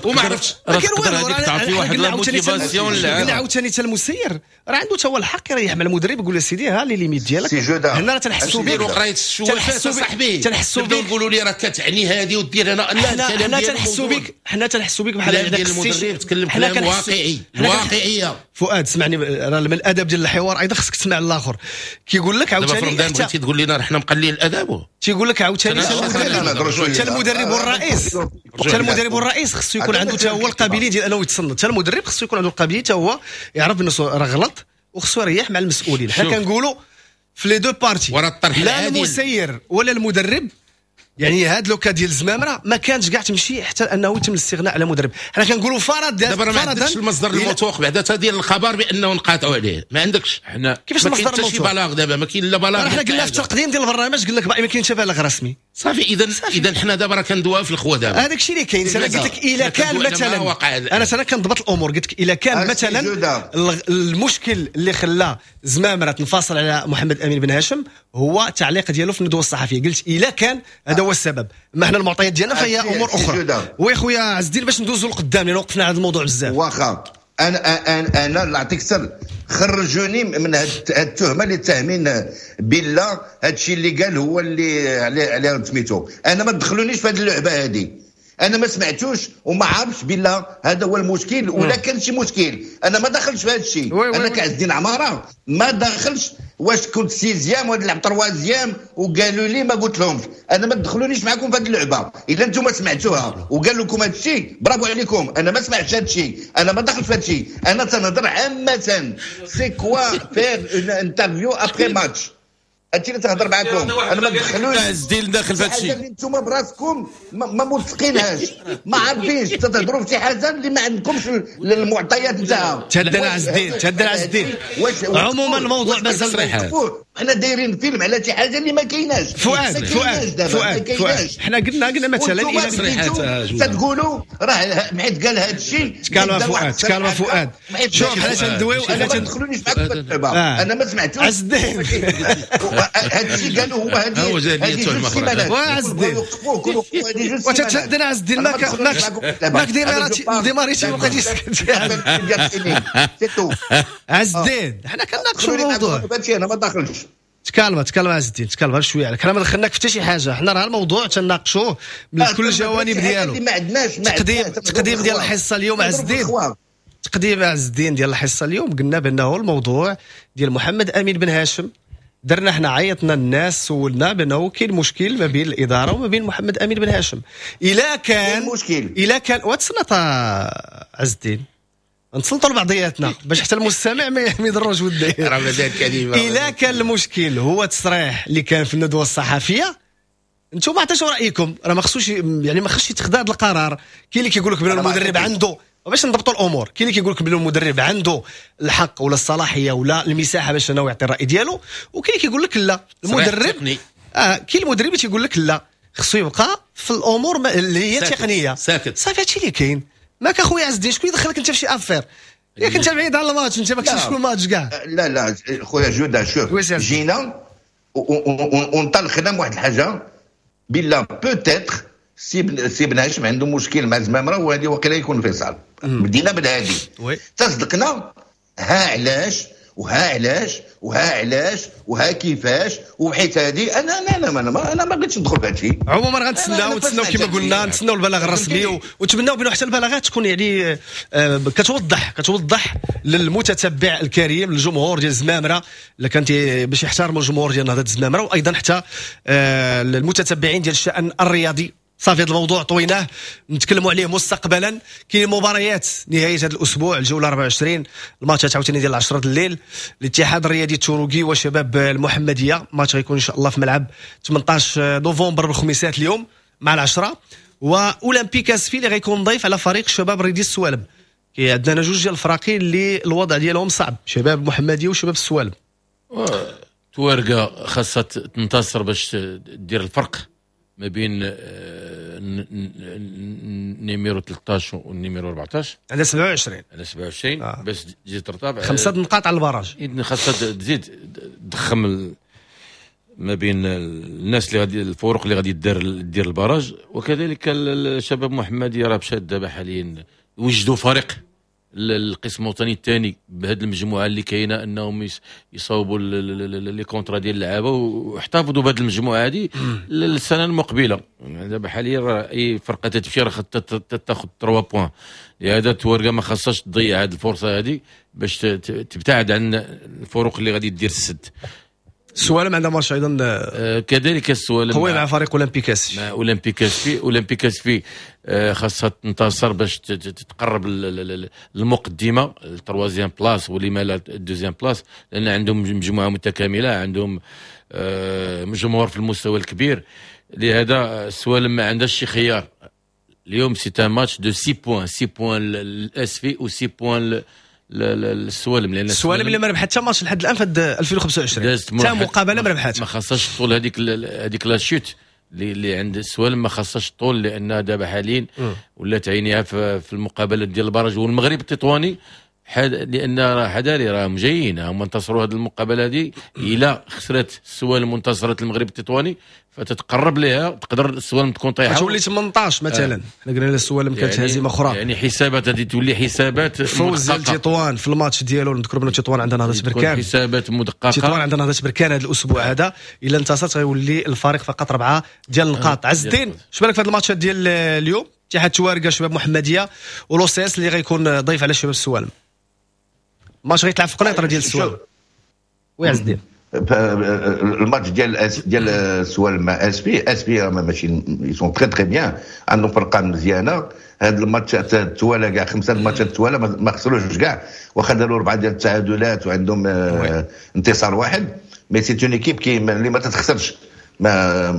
وما عرفتش راه تقدر هذيك تعطي واحد la motivation للعب. عاوتاني حتى المسير راه عنده حتى هو الحق يريح مع المدرب يقول له سيدي ها les limites ديالك هنا راه تنحسوا بك. قرايه الشوافات صاحبي تنحسوا بك، نقولوا لي راه كتعني هذه ودير انا لا، حنا تنحسوا بك، حنا تنحسوا بك بحال هذاك المدرب تكلم كلام واقعي واقعية. فؤاد سمعني، راه من الادب ديال الحوار ايضا خصك تسمع الاخر كيقول لك عاوتاني. دابا في بغيتي تقول لنا حنا مقللين الادب، تيقول لك عاوتاني حتى المدرب والرئيس، حتى المدرب والرئيس خصو يكون عنده حتى هو القابلية ديال انه يتصنت. حتى المدرب خصو يكون عنده القابلية حتى هو يعرف انه راه غلط وخصو يريح مع المسؤولين. حنا كنقولوا في les deux parties، لا المسير ولا المدرب. يعني هاد le cas ديال الزمامره ما كانش كاع تمشي حتى انه يتم الاستغناء على مدرب. حنا كنقولوا فرض دابا ما عندكش المصدر الموثوق بعدا حتى ديال الخبر بانه نقاطعوا عليه، ما عندكش. حنا كيفاش المصدر الموثوق؟ شي بلاغ دابا ما كاين لا بلاغ. حنا قلنا في التقديم ديال البرنامج قلنا لك ما كاينش بلاغ رسمي صافي. اذا اذا حنا دابا راه كندويو في الخوا دابا، هذاك الشيء اللي كاين. انا قلت لك الا كان مثلا، انا انا كنضبط الامور، قلت لك الا كان مثلا المشكل اللي خلى زمامرة تنفصل على محمد امين بن هاشم هو التعليق ديالو في الندوة الصحفية، قلت الا كان هذا هو السبب. ما حنا المعطيات ديالنا فهي امور اخرى. oui خويا عز الدين باش ندوزو لقدام لان وقفنا على هذا الموضوع بزاف. واخا انا انا انا نعطيك سر، خرجوني من هاد التهمة اللي تهمين بالله هادشي اللي قال هو اللي عليه عليه سميتو. انا ما تدخلونيش في هاد اللعبة هادي، انا ما سمعتوش وما عارفش بالله هذا هو المشكل ولا كان شي مشكل. انا ما دخلتش في هذا الشيء. انا كعز الدين عمارة ما دخلش واش كنت sixième ولا لعب troisième وقالوا لي ما قلت لهمش. انا ما تدخلونيش معكم في هذه اللعبة. الا انتم سمعتوها وقالوا لكم هذا الشيء برافو عليكم. انا ما سمعتش هذا الشيء، انا ما دخلتش في هذا الشيء. انا تنهضر عامة c'est quoi faire une interview après match. هادشي اللي تهضر معاكم انا ما تدخلوش عز الدين داخل في هادشي اللي نتوما براسكم ما موثقينهاش، ما عارفينش تتهضروا في شي حاجة اللي ما عندكمش المعطيات نتاعها. تهدى عز الدين، تهدى عز الدين. عموما الموضوع مازال حنا دايرين فيلم على شي حاجة اللي ما كايناش. فؤاد فؤاد فؤاد فؤاد حنا قلنا قلنا مثلا الى تصريحات تقولوا راه حيت قال هذا الشيء. تكالما فؤاد، تكالما فؤاد. شوف حنا تندويو، انا ما تدخلونيش معاكم في اللعبة. انا ما سمعتوش عز الدين هذا الشيء قالوا هو هذه هذه جوج سيمانات. وعز الدين وتتهدن عز الدين، ماك ماك ديماريتي ما بقيتيش سكت. عز الدين حنا كنناقشوا الموضوع، انا ما داخلش. تكالما تكالما عز الدين، تكالما شوية عليك. حنا ما دخلناك في حتى شي حاجة، حنا راه الموضوع تناقشوه من كل الجوانب ديالو. ما عندناش تقديم تقديم ديال الحصة اليوم عز الدين، تقديم عز الدين ديال الحصة اليوم قلنا بانه الموضوع ديال محمد امين بن هاشم درنا حنا عيطنا الناس، سولنا بانه كاين مشكل ما بين الادارة وما بين محمد امين بن هاشم. الا كان مشكل، الا كان وتسنط عز الدين، نتسلطوا لبعضياتنا باش حتى المستمع ما يضروش وديه. رمضان كريم. الا كان المشكل هو التصريح اللي كان في الندوة الصحفيه، انتم عطيتوا رايكم، راه ما خصوش يعني ما خصش يتخذ هذا القرار. كاين اللي كيقول لك بان المدرب عنده، باش نضبطوا الامور، كاين اللي كيقول لك بان المدرب عنده الحق ولا الصلاحية ولا المساحة باش انه يعطي الراي ديالو، وكاين اللي كيقول لك لا المدرب اه كاين المدرب اللي تيقول لك لا، خصو يبقى في الامور اللي هي تقنية. ساكت. صافي، هادشي اللي كاين. ماك اخويا عز الدين، شكون يدخلك انت في شي affaire؟ ياك انت بعيد على الماتش، انت ما كنتش في الماتش كاع. لا لا خويا جوده، شوف، جينا وانطلقنا من واحد الحاجة بلا peut-être سي سي بن هاشم عنده مشكل مع زمامره، وهذه وقيله يكون انفصال. بدينا بالهادي، تصدقنا ها علاش وها علاش وها علاش وها كيفاش وحيت هذه. انا انا انا انا انا ما بغيتش ندخل في هذا الشيء. عموما غنتسناو، نتسناو كما قلنا، نتسناو البلاغ الرسمي، ونتمناو بانه حتى البلاغات تكون يعني آه، كتوضح كتوضح للمتتبع الكريم، للجمهور ديال الزمامره اللي كانت باش يحترموا الجمهور ديال نهضة الزمامره، وايضا حتى آه، المتتبعين ديال الشان الرياضي. صافي، هذا الموضوع طويناه، نتكلموا عليه مستقبلا. كاين مباريات نهاية هذا الاسبوع، الجولة أربعة وعشرين، الماتشات عاوتاني ديال عشرة الليل، الاتحاد الرياضي التوروكي وشباب المحمديه، ماتش غيكون ان شاء الله في ملعب ثمنطاش نوفمبر بالخميسات اليوم مع العشرة، واولمبيك اسفي اللي غيكون ضيف على فريق الشباب الرياضي السوالم. كي عندنا جوج ديال الفراقي اللي الوضع ديالهم صعب، شباب المحمدية وشباب السوالم. توارقه خاصها تنتصر باش دير الفرق ما بين آه، numéro ثلاثة عشر وال numéro أربعة عشر. عندها سبعة وعشرين. على سبعة وعشرين آه. باش تزيد ترتفع. خمسة نقاط على ال barrage. اذن خاصها تزيد تضخم ما بين الناس اللي غادي، الفروق اللي غادي دير دير ال barrage. وكذلك الشباب محمديه راه مشات دابا حاليا وجدوا فريق القسم الوطني الثاني بهذه المجموعة اللي كاينه، انهم يصاوبوا les contrats ديال اللعابه واحتفظوا بهذه المجموعة هذه للسنة المقبله. دابا حاليا اي فرقه تمشي راه تاخذ ثلاثة points، لهذا توارقه ما خاصهاش تضيع هذه الفرصة هذه باش تبتعد عن الفروق اللي غادي دير السد. السوالم عندها ماتش ايضا. آه كذلك السوالم قوي مع فريق اولمبيك اسفي. مع اولمبيك اسفي. اولمبيك اسفي آه خاصها تنتصر باش تتقرب المقدمه، ال troisième place ولما لا ال deuxième place، لان عندهم مجموعة متكامله، عندهم آه جمهور في المستوى الكبير. لهذا السوالم ما عندهاش شي خيار اليوم. c'est un match de six points، six points الاسفي و six points السوالم. لان السوالم اللي ما ربحت حتى ماتش لحد الان في ألفين وخمسة وعشرين، حتى مقابله ما ربحتها. ما خاصهاش طول هذيك هذيك la chute اللي عند السوالم، ما خاصهاش طول، لان دابا حاليا ولات عينيها في, في المقابلات ديال ال barrage والمغرب التطواني حد، لان راه حذاري، راهم جايين، هما انتصروا هذه المقابلة هذه. الى خسرت السوالم وانتصرت المغرب التطواني فتتقرب لها، تقدر السوالم تكون طايحه. تولي ثمنطاش مثلا. آه. حنا قلنا السوالم كانت يعني هزيمة اخرى. يعني حسابات هذه تولي حسابات. فوز ديال تطوان في الماتش ديالو، نذكروا بان تطوان عندها نهضة بركان. حسابات مدققه. تطوان عندها نهضة بركان هذا الاسبوع هذا، الا انتصرت غيولي الفارق فقط اربعة ديال النقاط. آه. عز الدين، اش بالك في هذا الماتش ديال اليوم؟ اتحاد توارقه شباب محمديه، و l'OCS اللي غيكون ضيف على شباب السوالم. ماتش غيتلعب في قنيطره ديال السوالم. oui عز الدين. الماتش ديال ديال السوالم مع اسفي، اسفي ماشي ils sont très très bien، عندهم فرقه مزيانه. هاد الماتشات التوالا كاع، خمسة الماتشات التوالا ما خسروش كاع، واخا داروا اربعة ديال التعادلات وعندهم آه، انتصار واحد، mais c'est une équipe qui اللي ما تتخسرش. ما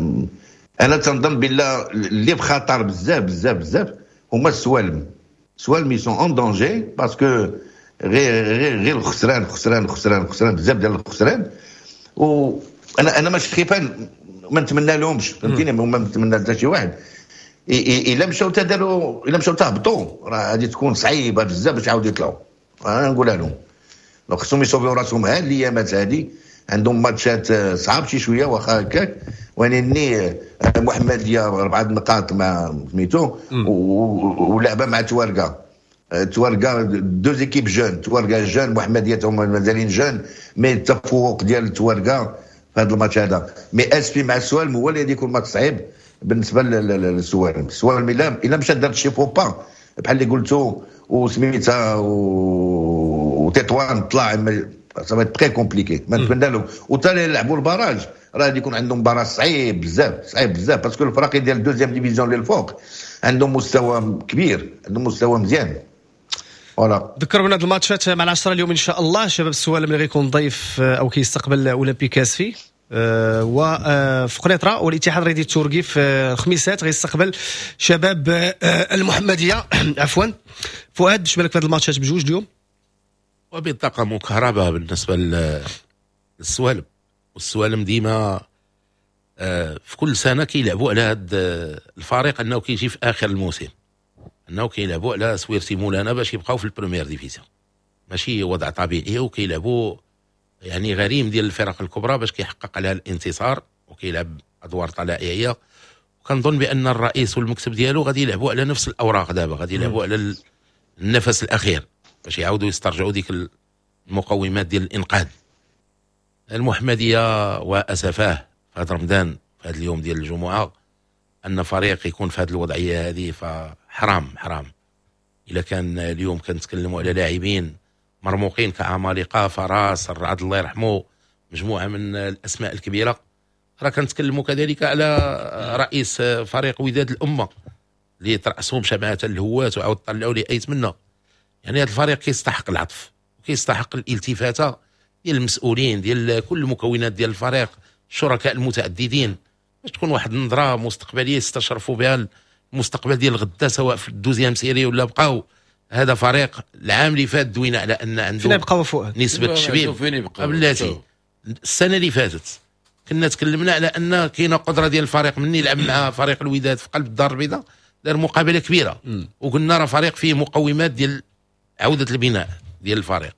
انا تنظن بالله اللي بخطر بزاف بزاف بزاف هما السوالم. السوالم ils sont en danger parce que غير غير غير الخسران خسران خسران خسران، بزاف ديال الخسران. وانا انا ماشي خيفان، ما نتمنى لهمش، فهمتيني، ما نتمنى حتى شي واحد. الا مشاو تداروا، الا مشاو تهبطوا، راه غادي تكون صعيبة بزاف باش يعاودوا يطلعوا. انا نقولها لهم، donc خصهم يصوفيو راسهم هاد الايامات هادي. عندهم ماتشات صعاب شي شويه، واخا هكاك ولكن محمديه اربعة نقاط مع سميتو ولعبه مع توارقه. توارقه deux équipes jeunes، توارقه jeune، محمديه هما مازالين jeunes، mais التفوق ديال توارقه في هذا الماتش هذا. mais اسفي مع السوالم هو اللي غادي يكون ماتش صعيب بالنسبة للسوالم. السوالم الا الا مشات دارت شي faux pas بحال اللي قلتو وسميتها وتطوان طلع. ça va très compliqué. ما نتمنى لهم، وتا يلعبوا ال barrage راه غادي يكون عندهم barrage صعيب بزاف، صعيب بزاف، parce que الفرق ديال deuxième division اللي الفوق عندهم مستوى كبير، عندهم مستوى مزيان، voilà. ذكروا بنا هاد الماتشات مع العشرة اليوم ان شاء الله. شباب السوالم اللي غيكون ضيف آه، او كيستقبل اولمبيك اسفي، آه، وفي قنيطره، والاتحاد الرياضي التوركي في الخميسات غيستقبل شباب آه، المحمديه، عفوا. فؤاد، اش بالك في هاد الماتشات بجوج اليوم؟ وبطاقة مكهربة بالنسبة للسوالم، والسوالم ديما آه، في كل سنة كيلعبوا على هذا الفريق انه كيجي في اخر الموسم، انه كيلعبوا على سويرتي مولانا باش يبقاو في ال première division، ماشي وضع طبيعي، وكيلعبوا يعني غريم ديال الفرق الكبرى باش كيحقق عليها الانتصار وكيلعب ادوار طلائعيه. وكنظن بان الرئيس والمكتب ديالو غادي يلعبوا على نفس الاوراق دابا، غادي يلعبوا على النفس الاخير باش يعاودوا يسترجعوا ديك المقومات ديال الانقاذ. المحمدية واسفاه في هذا رمضان، في هذا اليوم ديال الجمعه، ان فريق يكون في هذه الوضعية هذه فحرام حرام. اذا كان اليوم كنتكلموا على لاعبين مرموقين كعمالقه، فراس الرعد الله يرحمه، مجموعة من الاسماء الكبيره، راه كنتكلموا كذلك على رئيس فريق وداد الامة اللي ترأسهم شمعة الهوات وعاود طلعوا لي ايت منا. يعني هذا الفريق كيستحق العطف وكيستحق الالتفاته ديال المسؤولين، ديال كل المكونات ديال الفريق، الشركاء المتعددين، باش تكون واحد النظرة مستقبلية يستشرفوا بها المستقبل ديال غدا، سواء في ال deuxième série ولا بقاو. هذا فريق العام اللي فات دوينا على ان عنده فين يبقاو فؤاد؟ نسبه تشبيب. بلاتي، السنة اللي فاتت كنا تكلمنا على ان كاينه قدره ديال الفريق من يلعب مع فريق الوداد في قلب الدار البيضاء، دار مقابله كبيره، وقلنا راه فريق فيه مقومات ديال عوده البناء ديال الفريق.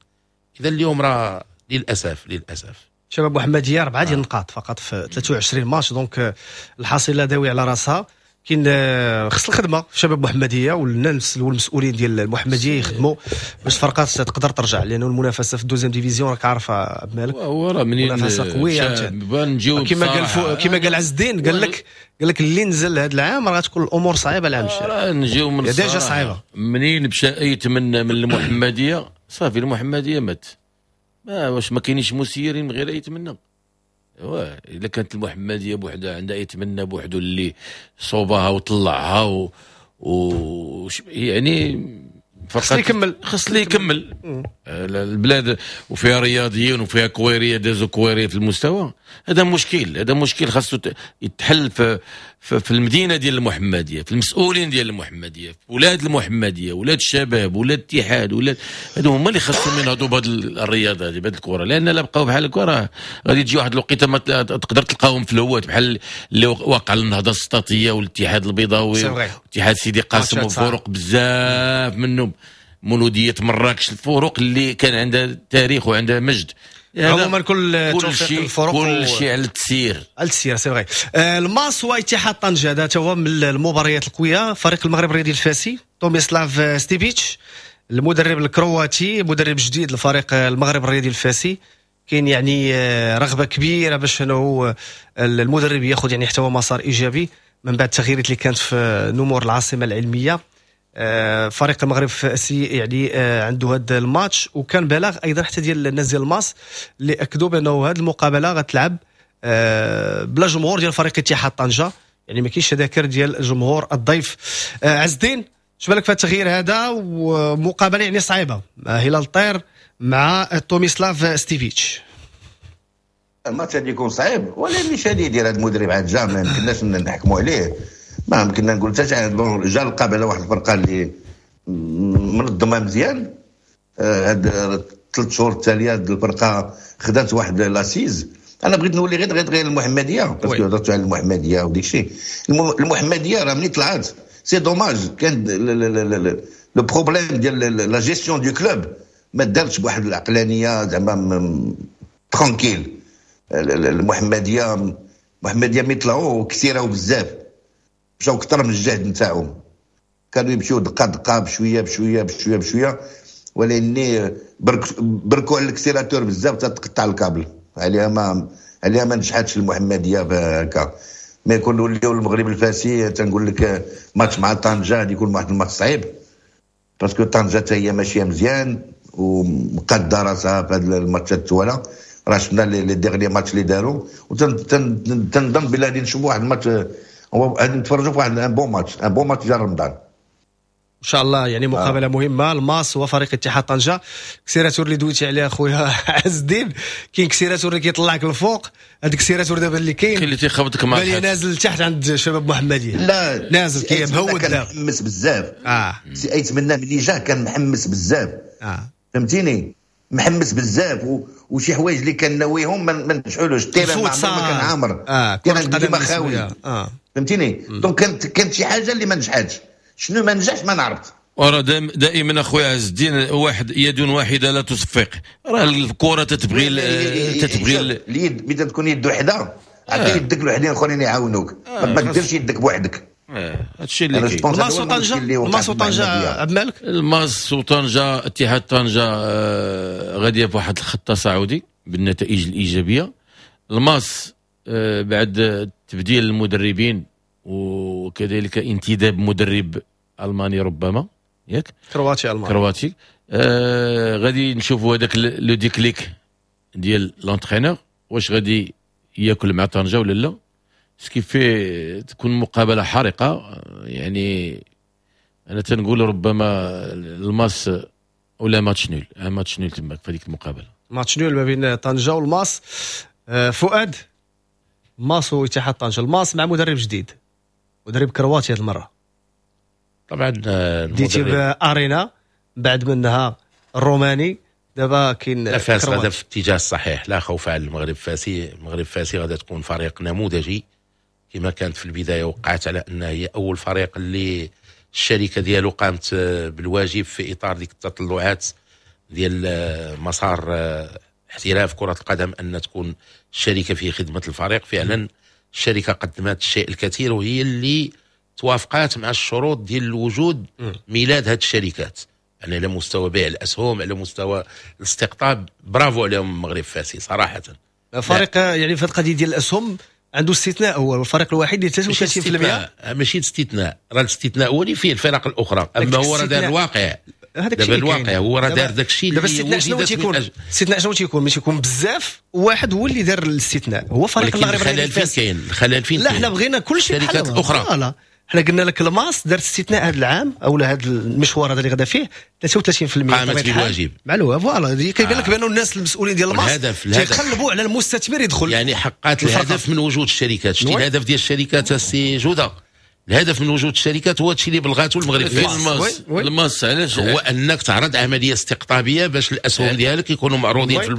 اذا اليوم راه للاسف للاسف. شباب محمديه اربعة ديال النقاط فقط في ثلاثة وعشرين match، donc الحصيلة داوي على راسها. كاين آه، خص الخدمة في شباب محمديه والناس والمسؤولين ديال المحمدية يخدموا باش الفرقات تقدر ترجع، لانه المنافسة في ال deuxième division راك عارف عبد المالك. هو راه منين منافسه قوية. نجيو كما قال فو كما قال عز الدين، قال لك قال لك اللي نزل هذا العام راه تكون الامور صعيبة العام الجاي. راه نجيو من déjà صعيبه. منين مشى ايت من من المحمديه، صافي المحمدية مات. ما واش ما كاينينش مسيرين من غير ايت منا؟ الا كانت المحمدية بوحدها عندها ايت منا بوحدو اللي صوبها وطلعها و, و يعني خص يكمل. خص اللي يكمل. البلاد وفيها رياضيين وفيها كويريه دازو كويريه في المستوى. هذا مشكل، هذا مشكل خاصو يتحل في, في, في المدينة ديال المحمديه، في المسؤولين ديال المحمديه، في ولاد المحمديه، ولاد الشباب، ولاد الاتحاد، ولاد هادو هما اللي خاصهم ينهضوا بهذه الرياضة هذه، بهذه الكره، لان لا بقاو بحال هكا راه غادي تجي واحد الوقيته ما تقدر تلقاهم في الهوات، بحال اللي وقع للنهضه السطاتيه والاتحاد البيضاوي واتحاد سيدي قاسم وفرق بزاف منهم، مولوديه مراكش، الفرق اللي كان عندها تاريخ وعندها مجد. عموما كل كل شيء الفرق كل شيء على التسيير. على التسيير، c'est vrai. آه، الماس واتحاد طنجه، هذا هو من المباريات القويه. فريق المغرب الرياضي الفاسي، توميسلاف ستيبيتش المدرب الكرواتي، مدرب جديد لفريق المغرب الرياضي الفاسي، كاين يعني آه، رغبة كبيرة باش انه المدرب ياخذ يعني حتى هو مسار ايجابي من بعد التغييرات اللي كانت في نمور العاصمة العلميه. آه، فريق المغرب الفاسي يعني آه، عنده هذا الماتش، وكان بلاغ ايضا حتى ديال الناس ديال الماس اللي اكدوا بانه هذه المقابلة غتلعب آه، بلا جمهور ديال فريق اتحاد طنجه، يعني ما كاينش تذاكر ديال الجمهور الضيف. عز الدين، اش بالك في التغيير هذا ومقابله يعني صعيبة مع هلال الطير مع توميسلاف ستيفيتش؟ الماتش غادي يكون صعيب، ولكن مش غادي يدير هذا المدرب عاد جا، ما يمكنناش نحكموا عليه، ما يمكننا نقول حتى جا لقى واحد الفرقة اللي منظمة مزيان. آه، هاد ثلاث شهور التالية هاد الفرقة خدات واحد l'assise. انا بغيت نولي غير غير غير المحمديه، parce que هضرتوا على المحمدية وديك الشيء. المحمدية راه ملي طلعت، c'est dommage، كان le problème ديال la gestion du club ما دارتش بواحد العقلانية زعما tranquille. المحمديه المحمديه ملي طلعوا كثيرة وبزاف، مشاو اكثر من الجهد نتاعهم. كانوا يمشيو دقه دقه، بشوية بشوية بشوية بشويه، ولكن برك بركوا على l'accélérateur بزاف تقطع الكابل. عليها ما عليها ما نجحتش المحمدية هكا. mais يكون نوليو المغرب الفاسي، تنقول لك ماتش مع طنجه غادي يكون واحد الماتش صعيب، parce que طنجه حتى هي ماشية مزيان. ومقاده راسها في هذا الماتشات التواله. راه شفنا les derniers matchs اللي داروا، وتنظن بلي غادي نشوفوا واحد الماتش، غادي نتفرجوا في واحد un bon match، un bon match ديال رمضان ان شاء الله. يعني مقابله آه. مهمة، الماس وفريق اتحاد طنجه. كسيراتور اللي دويتي عليها خويا عز الدين، كاين كسيراتور اللي كيطلعك للفوق، هذاك كسيراتور دابا اللي كاين كاين اللي تيخبطك مع الحيط نازل لتحت عند شباب محمديه. لا نازل كيمهود دابا، محمس بزاف. اه سي ايتمنى ملي جا كان محمس بزاف. اه فهمتيني، محمس بزاف و... وشي حوايج اللي كان ناويهم ما نجحولوش. ال terrain ما كان عامر، آه. كان ديما خاوي. آه. فهمتيني. donc كانت كانت شي حاجة اللي ما نجحتش. شنو ما نجحش ما نعرفت. وراه دائما اخويا عز الدين واحد يد واحدة لا تصفق، راه الكره تتبغي تتبغي اليد ملي تكون يد وحده عطي يدك الوحدين الاخرين يعاونوك، ما ديرش يدك بوحدك. هادشي اللي كاين. الماس وطنجه، الماس وطنجه عبد الملك، الماس وطنجه، اتحاد طنجه غادية بواحد الخط تصاعدي بالنتائج الايجابية. الماس بعد تبديل المدربين وكذلك انتداب مدرب الماني ربما، ياك كرواتي الماني كرواتي، آه غادي نشوفوا هذاك le déclic ديال l'entraîneur واش غادي ياكل مع طنجه ولا لا. ce qui fait تكون مقابله حارقه، يعني انا تنقول ربما الماس ولا match nul، match nul تماك في هذيك المقابلة، match nul ما بين طنجه والماس. آه فؤاد، ماس واتحاد طنجه، الماس مع مدرب جديد، مدرب كرواتي هذه المرة. طبعا ديتي بارينا بعد منها الروماني، دابا كاين لا فاس غادا في الاتجاه الصحيح، لا خوف على المغرب الفاسي. المغرب الفاسي غادا تكون فريق نموذجي كما كانت في البداية، وقعت على انها هي اول فريق اللي الشركة ديالو قامت بالواجب في اطار ديك التطلعات ديال مسار احتراف كره القدم، ان تكون الشركة في خدمة الفريق. فعلا الشركة قدمت الشيء الكثير، وهي اللي توافقات مع الشروط ديال الوجود ميلاد هذه الشركات، يعني على مستوى بيع الاسهم، على مستوى الاستقطاب. برافو عليهم المغرب الفاسي صراحة. فريق يعني في القضية ديال الاسهم عنده استثناء، هو الفريق الوحيد اللي ثلاثة وثلاثين بالمئة. ماشي استثناء، راه الاستثناء هو اللي فيه الفرق الاخرى، اما هو راه دار الواقع. دابا الواقع هو راه دار داك الشيء اللي الاستثناء شنو تيكون؟ الاستثناء شنو تيكون؟ ماشي يكون بزاف، واحد هو اللي دار الاستثناء، هو فريق المغرب. الخلل فين كاين؟ الخلل فين؟ لا حنا بغينا كل شيء الشركات الاخرى. حنا قلنا لك الماس دار استثناء هذا العام او هذا المشوار هذا اللي غدا فيه ثلاثة وثلاثين بالمئة قامت بالواجب معلومة. voilà كيبان لك بانه الناس المسؤولين ديال الماس تيقلبوا على المستثمر يدخل، يعني حققت الهدف من وجود الشركات. شتي الهدف ديال الشركات السي جوده، الهدف من وجود الشركات هو هادشي اللي بلغاتو المغرب الماس. الماس علاش؟ هو انك تعرض عملية استقطابيه باش الاسهم ديالك يكونوا معروضين في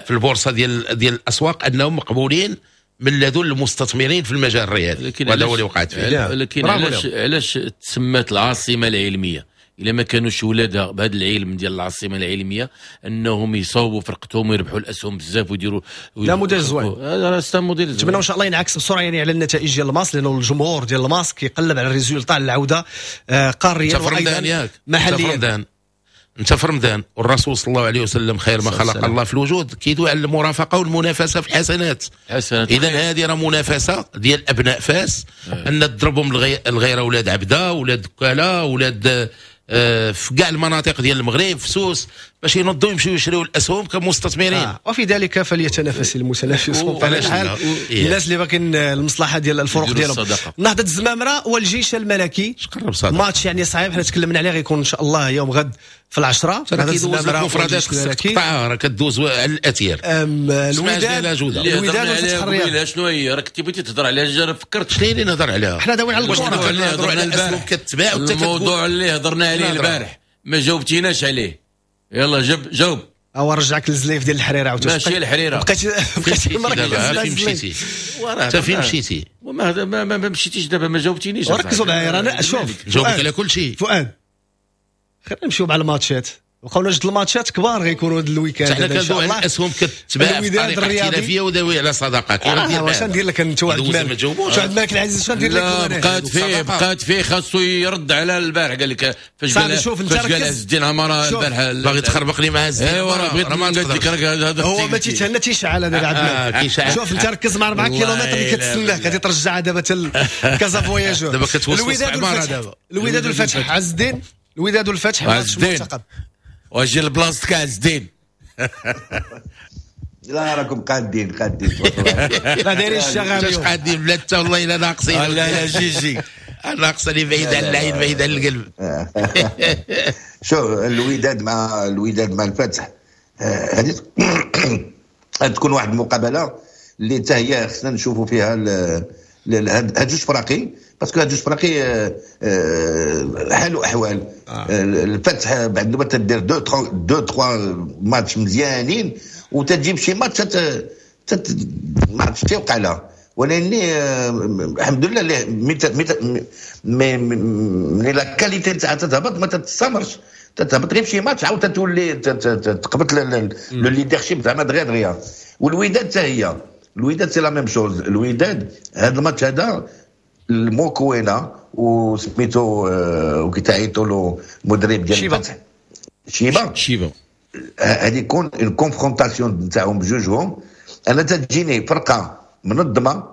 في البورصة ديال ديال الاسواق، انهم مقبولين من لدن المستثمرين في المجال الرياضي، وهذا هو اللي وقعت فيه. لكن علاش علاش تسمات العاصمة العلمية؟ الا ما كانوش ولادها بهذا العلم ديال العاصمة العلمية انهم يصوبوا فرقتهم ويربحوا الاسهم بزاف ويديروا لا موديل زوين. هذا راه c'est modèle زوين. نتمنى ان شاء الله ينعكس بسرعة يعني على النتائج ديال الماس، لانه الجمهور ديال الماس كيقلب على ال résultat، على العودة قاريا وايضا محليا. انت في رمضان والرسول صلى الله عليه وسلم خير ما خلق الله في الوجود كيدوي على المرافقة والمنافسه في الحسنات. اذا هذه راه منافسه ديال ابناء فاس، ان تضربهم الغيرة اولاد عبده، اولاد دكاله، اولاد في كاع المناطق ديال المغرب في سوس، باش ينضوا يمشيو يشريو الاسهم كمستثمرين. آه. وفي ذلك فليتنافس المتنافسون بطبيعة الحال. الناس اللي باقيين المصلحة ديال الفروق ديالهم. نهضة الزمامره والجيش الملكي، ماتش يعني صعيب، حنا تكلمنا عليه، غيكون ان شاء الله يوم غد في العشرة. نهضة الزمامره والجيش الملكي راه كدوز على الاثير. الوداد الوداد والفتح الرياضي. شنو هي راك انت بغيتي تهضر عليها؟ فكرت شنو اللي نهضر عليها؟ حنا داويين على الكره، نهضروا على الاسهم كتباع. الموضوع اللي هضرنا عليه البارح ما جاوبتيناش عليه. يلا جاب جاوب. او رجعك للزليف ديال الحريره عاوتاني. ماشي الحريره، بقيت بقيت مركز. فين مشيتي؟ انت فين مشيتي؟ وما ما, ما مشيتيش دابا، ما جاوبتينيش. ركزوا معايا رانا شوف جاوبك على كل شيء. فؤاد خلينا نمشيو مع الماتشات، بقاو جوج الماتشات كبار غيكونوا هذا ال week-end. حنا كندويو على الاسهم كتباع بطريقة احترافية وداوي على صداقه. آه واش ندير لك انت واحد المالك، واحد المالك العزيز شنو ندير لك؟ لا بقات فيه بقات فيه خاصو يرد على البارح. قال لك فاش قال فاش قال عز الدين عمارة البارح باغي تخربق لي مع عز الدين. ايوا بغيت قلت لك هذا هو ما تيتهنى تيشعل هذا عبد المالك. شوف انت ركز مع أربعة كيلومتر اللي كتسناك غادي ترجعها دابا حتى كازا فواياجور. دابا كتوصل الوداد والفتح. الوداد والفتح عز الدين، الوداد والفتح ماتش مرتقب. واجي لبلاصتك عز الدين. لا راكم قادين قادين. لا دايرين الشغل. واش قادين بلا حتى والله الا ناقصين. لا لا جي جي ناقصه اللي بعيد على العين بعيد على القلب. شوف الوداد مع الوداد مع الفتح، هذه تكون واحد المقابلة اللي حتى هي خصنا نشوفوا فيها هاد جوج فراقي، parce que هاد جوج فراقي حال واحوال. آه. الفتح بعد ما تدير deux deux trois matchs مزيانين وتجيب شي ماتش تت ما عرفتش تيوقع لها، ولكن الحمد لله mais mais la qualité تاعها تتهبط ما تتستمرش، تتهبط غير شي ماتش عاود تولي تقبط le leadership زعما دغيا دغيا. والوداد حتى هي الوداد c'est la même chose. الوداد هذا الماتش هذا الموكوينه وسميتو وكيتعيطوا له المدرب ديال الفتح شيبا شيبا، هذه يكون ال confrontation نتاعهم بجوجهم. انا تجيني فرقه منظمة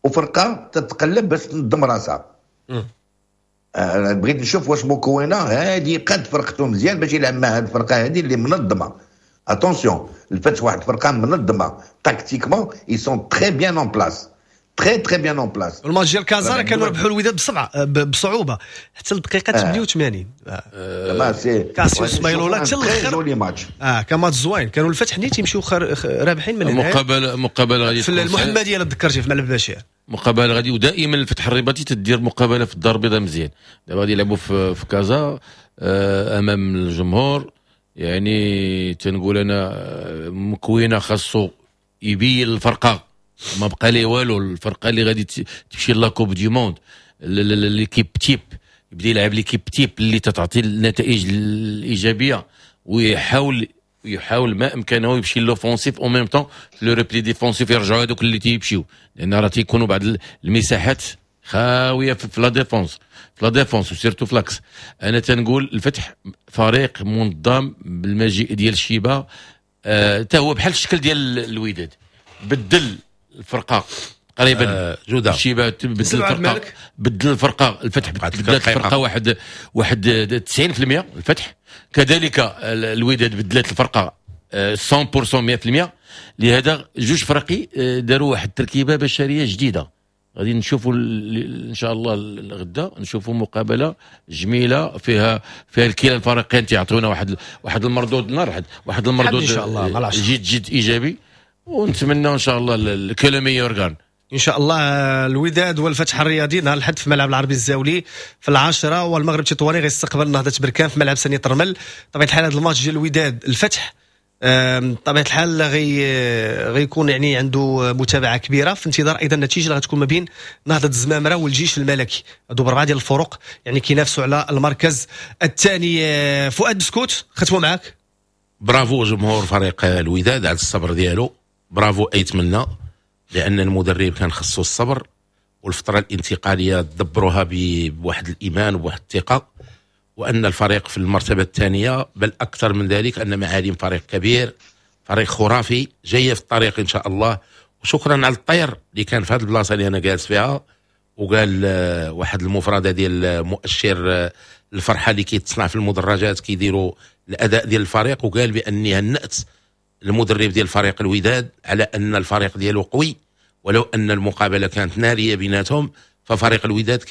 وفرقه تتقلب باش تنظم راسها. انا بغيت نشوف واش مكونة هذه قد فرقته مزيان باش يلعب مع هذه الفرقة هذه اللي منظمة. attention الفتح واحد الفرقة منظمة tactiquement، ils sont très bien en place، très très bien en place. الماتش ديال كازا كانوا ربحوا الوداد بسبعة بصعوبة حتى الدقيقة ثمانية وثمانين. آه. كاسيوس مايلولا حتى الاخر اه كان ماتش زوين، كانوا الفتح نيت يمشيو رابحين من هنا. مقابله مقابله غادي في المحمدية تذكرتي في ملعب بشير، مقابله غادي، ودائما الفتح الرباطي تدير مقابله في الدار البيضاء مزيان. دابا غادي يلعبوا في, في كازا آه امام الجمهور. يعني تنقول انا مكوينه خاصو يبين الفرقة، ما بقى ليه والو. الفرقة اللي غادي تمشي la Coupe du monde، l'équipe type، يبدا يلعب l'équipe type اللي تتعطي النتائج الايجابية، ويحاول يحاول ما امكانه يمشي l'offensif en même temps le repli défensif، يرجعوا هذوك اللي تيمشيو، لان راه تيكونوا بعض المساحات خاوية في la défense في la défense و surtout ف l'axe. انا تنقول الفتح فريق منظم بالمجيء ديال الشيبة، حتى آه هو بحال الشكل ديال الوداد، بدل الفرقة تقريبا آه جوده الشيبة بدل الفرقة بدل الفرقة الفتح بدلت الفرقة واحد واحد تسعين بالمية الفتح، كذلك الوداد بدلت الفرقة مية بالمية مية بالمية. لهذا جوج فرقي داروا واحد التركيبة بشرية جديدة. غادي نشوفوا ان شاء الله غدا نشوفوا مقابله جميلة فيها فيها الكلا الفريقين تيعطونا واحد واحد المردود نار واحد المردود ان شاء الله جد جد ايجابي، ونتمنى ان شاء الله que le meilleur gagne ان شاء الله. الوداد والفتح الرياضي نهار الاحد في ملعب العربي الزاولي في العاشرة، والمغرب التطواني غيستقبل نهضة بركان في ملعب سانية الرمل. طبيعة الحال هذا الماتش ديال الوداد الفتح طبيعة الحال غي غيكون يعني عنده متابعه كبيرة، في انتظار ايضا النتيجة اللي غتكون ما بين نهضة الزمامره والجيش الملكي. هادو بربعه ديال الفرق يعني كينافسوا على المركز الثاني. فؤاد بسكوت ختموا معاك. برافو جمهور فريق الوداد على الصبر ديالو، برافو ايتمنى، لان المدرب كان خصو الصبر والفترة الانتقالية دبروها بواحد الايمان وبواحد الثقة، وان الفريق في المرتبة الثانية، بل اكثر من ذلك ان معالم فريق كبير، فريق خرافي جاية في الطريق ان شاء الله. وشكرا على الطير اللي كان في هذه البلاصة اللي انا جالس فيها، وقال واحد المفردة ديال مؤشر الفرحة اللي كيتصنع في المدرجات كيديروا الاداء ديال الفريق، وقال باني هنأت المدرب ديال فريق الوداد على ان الفريق ديالو قوي، ولو ان المقابلة كانت نارية بيناتهم ففريق الوداد كان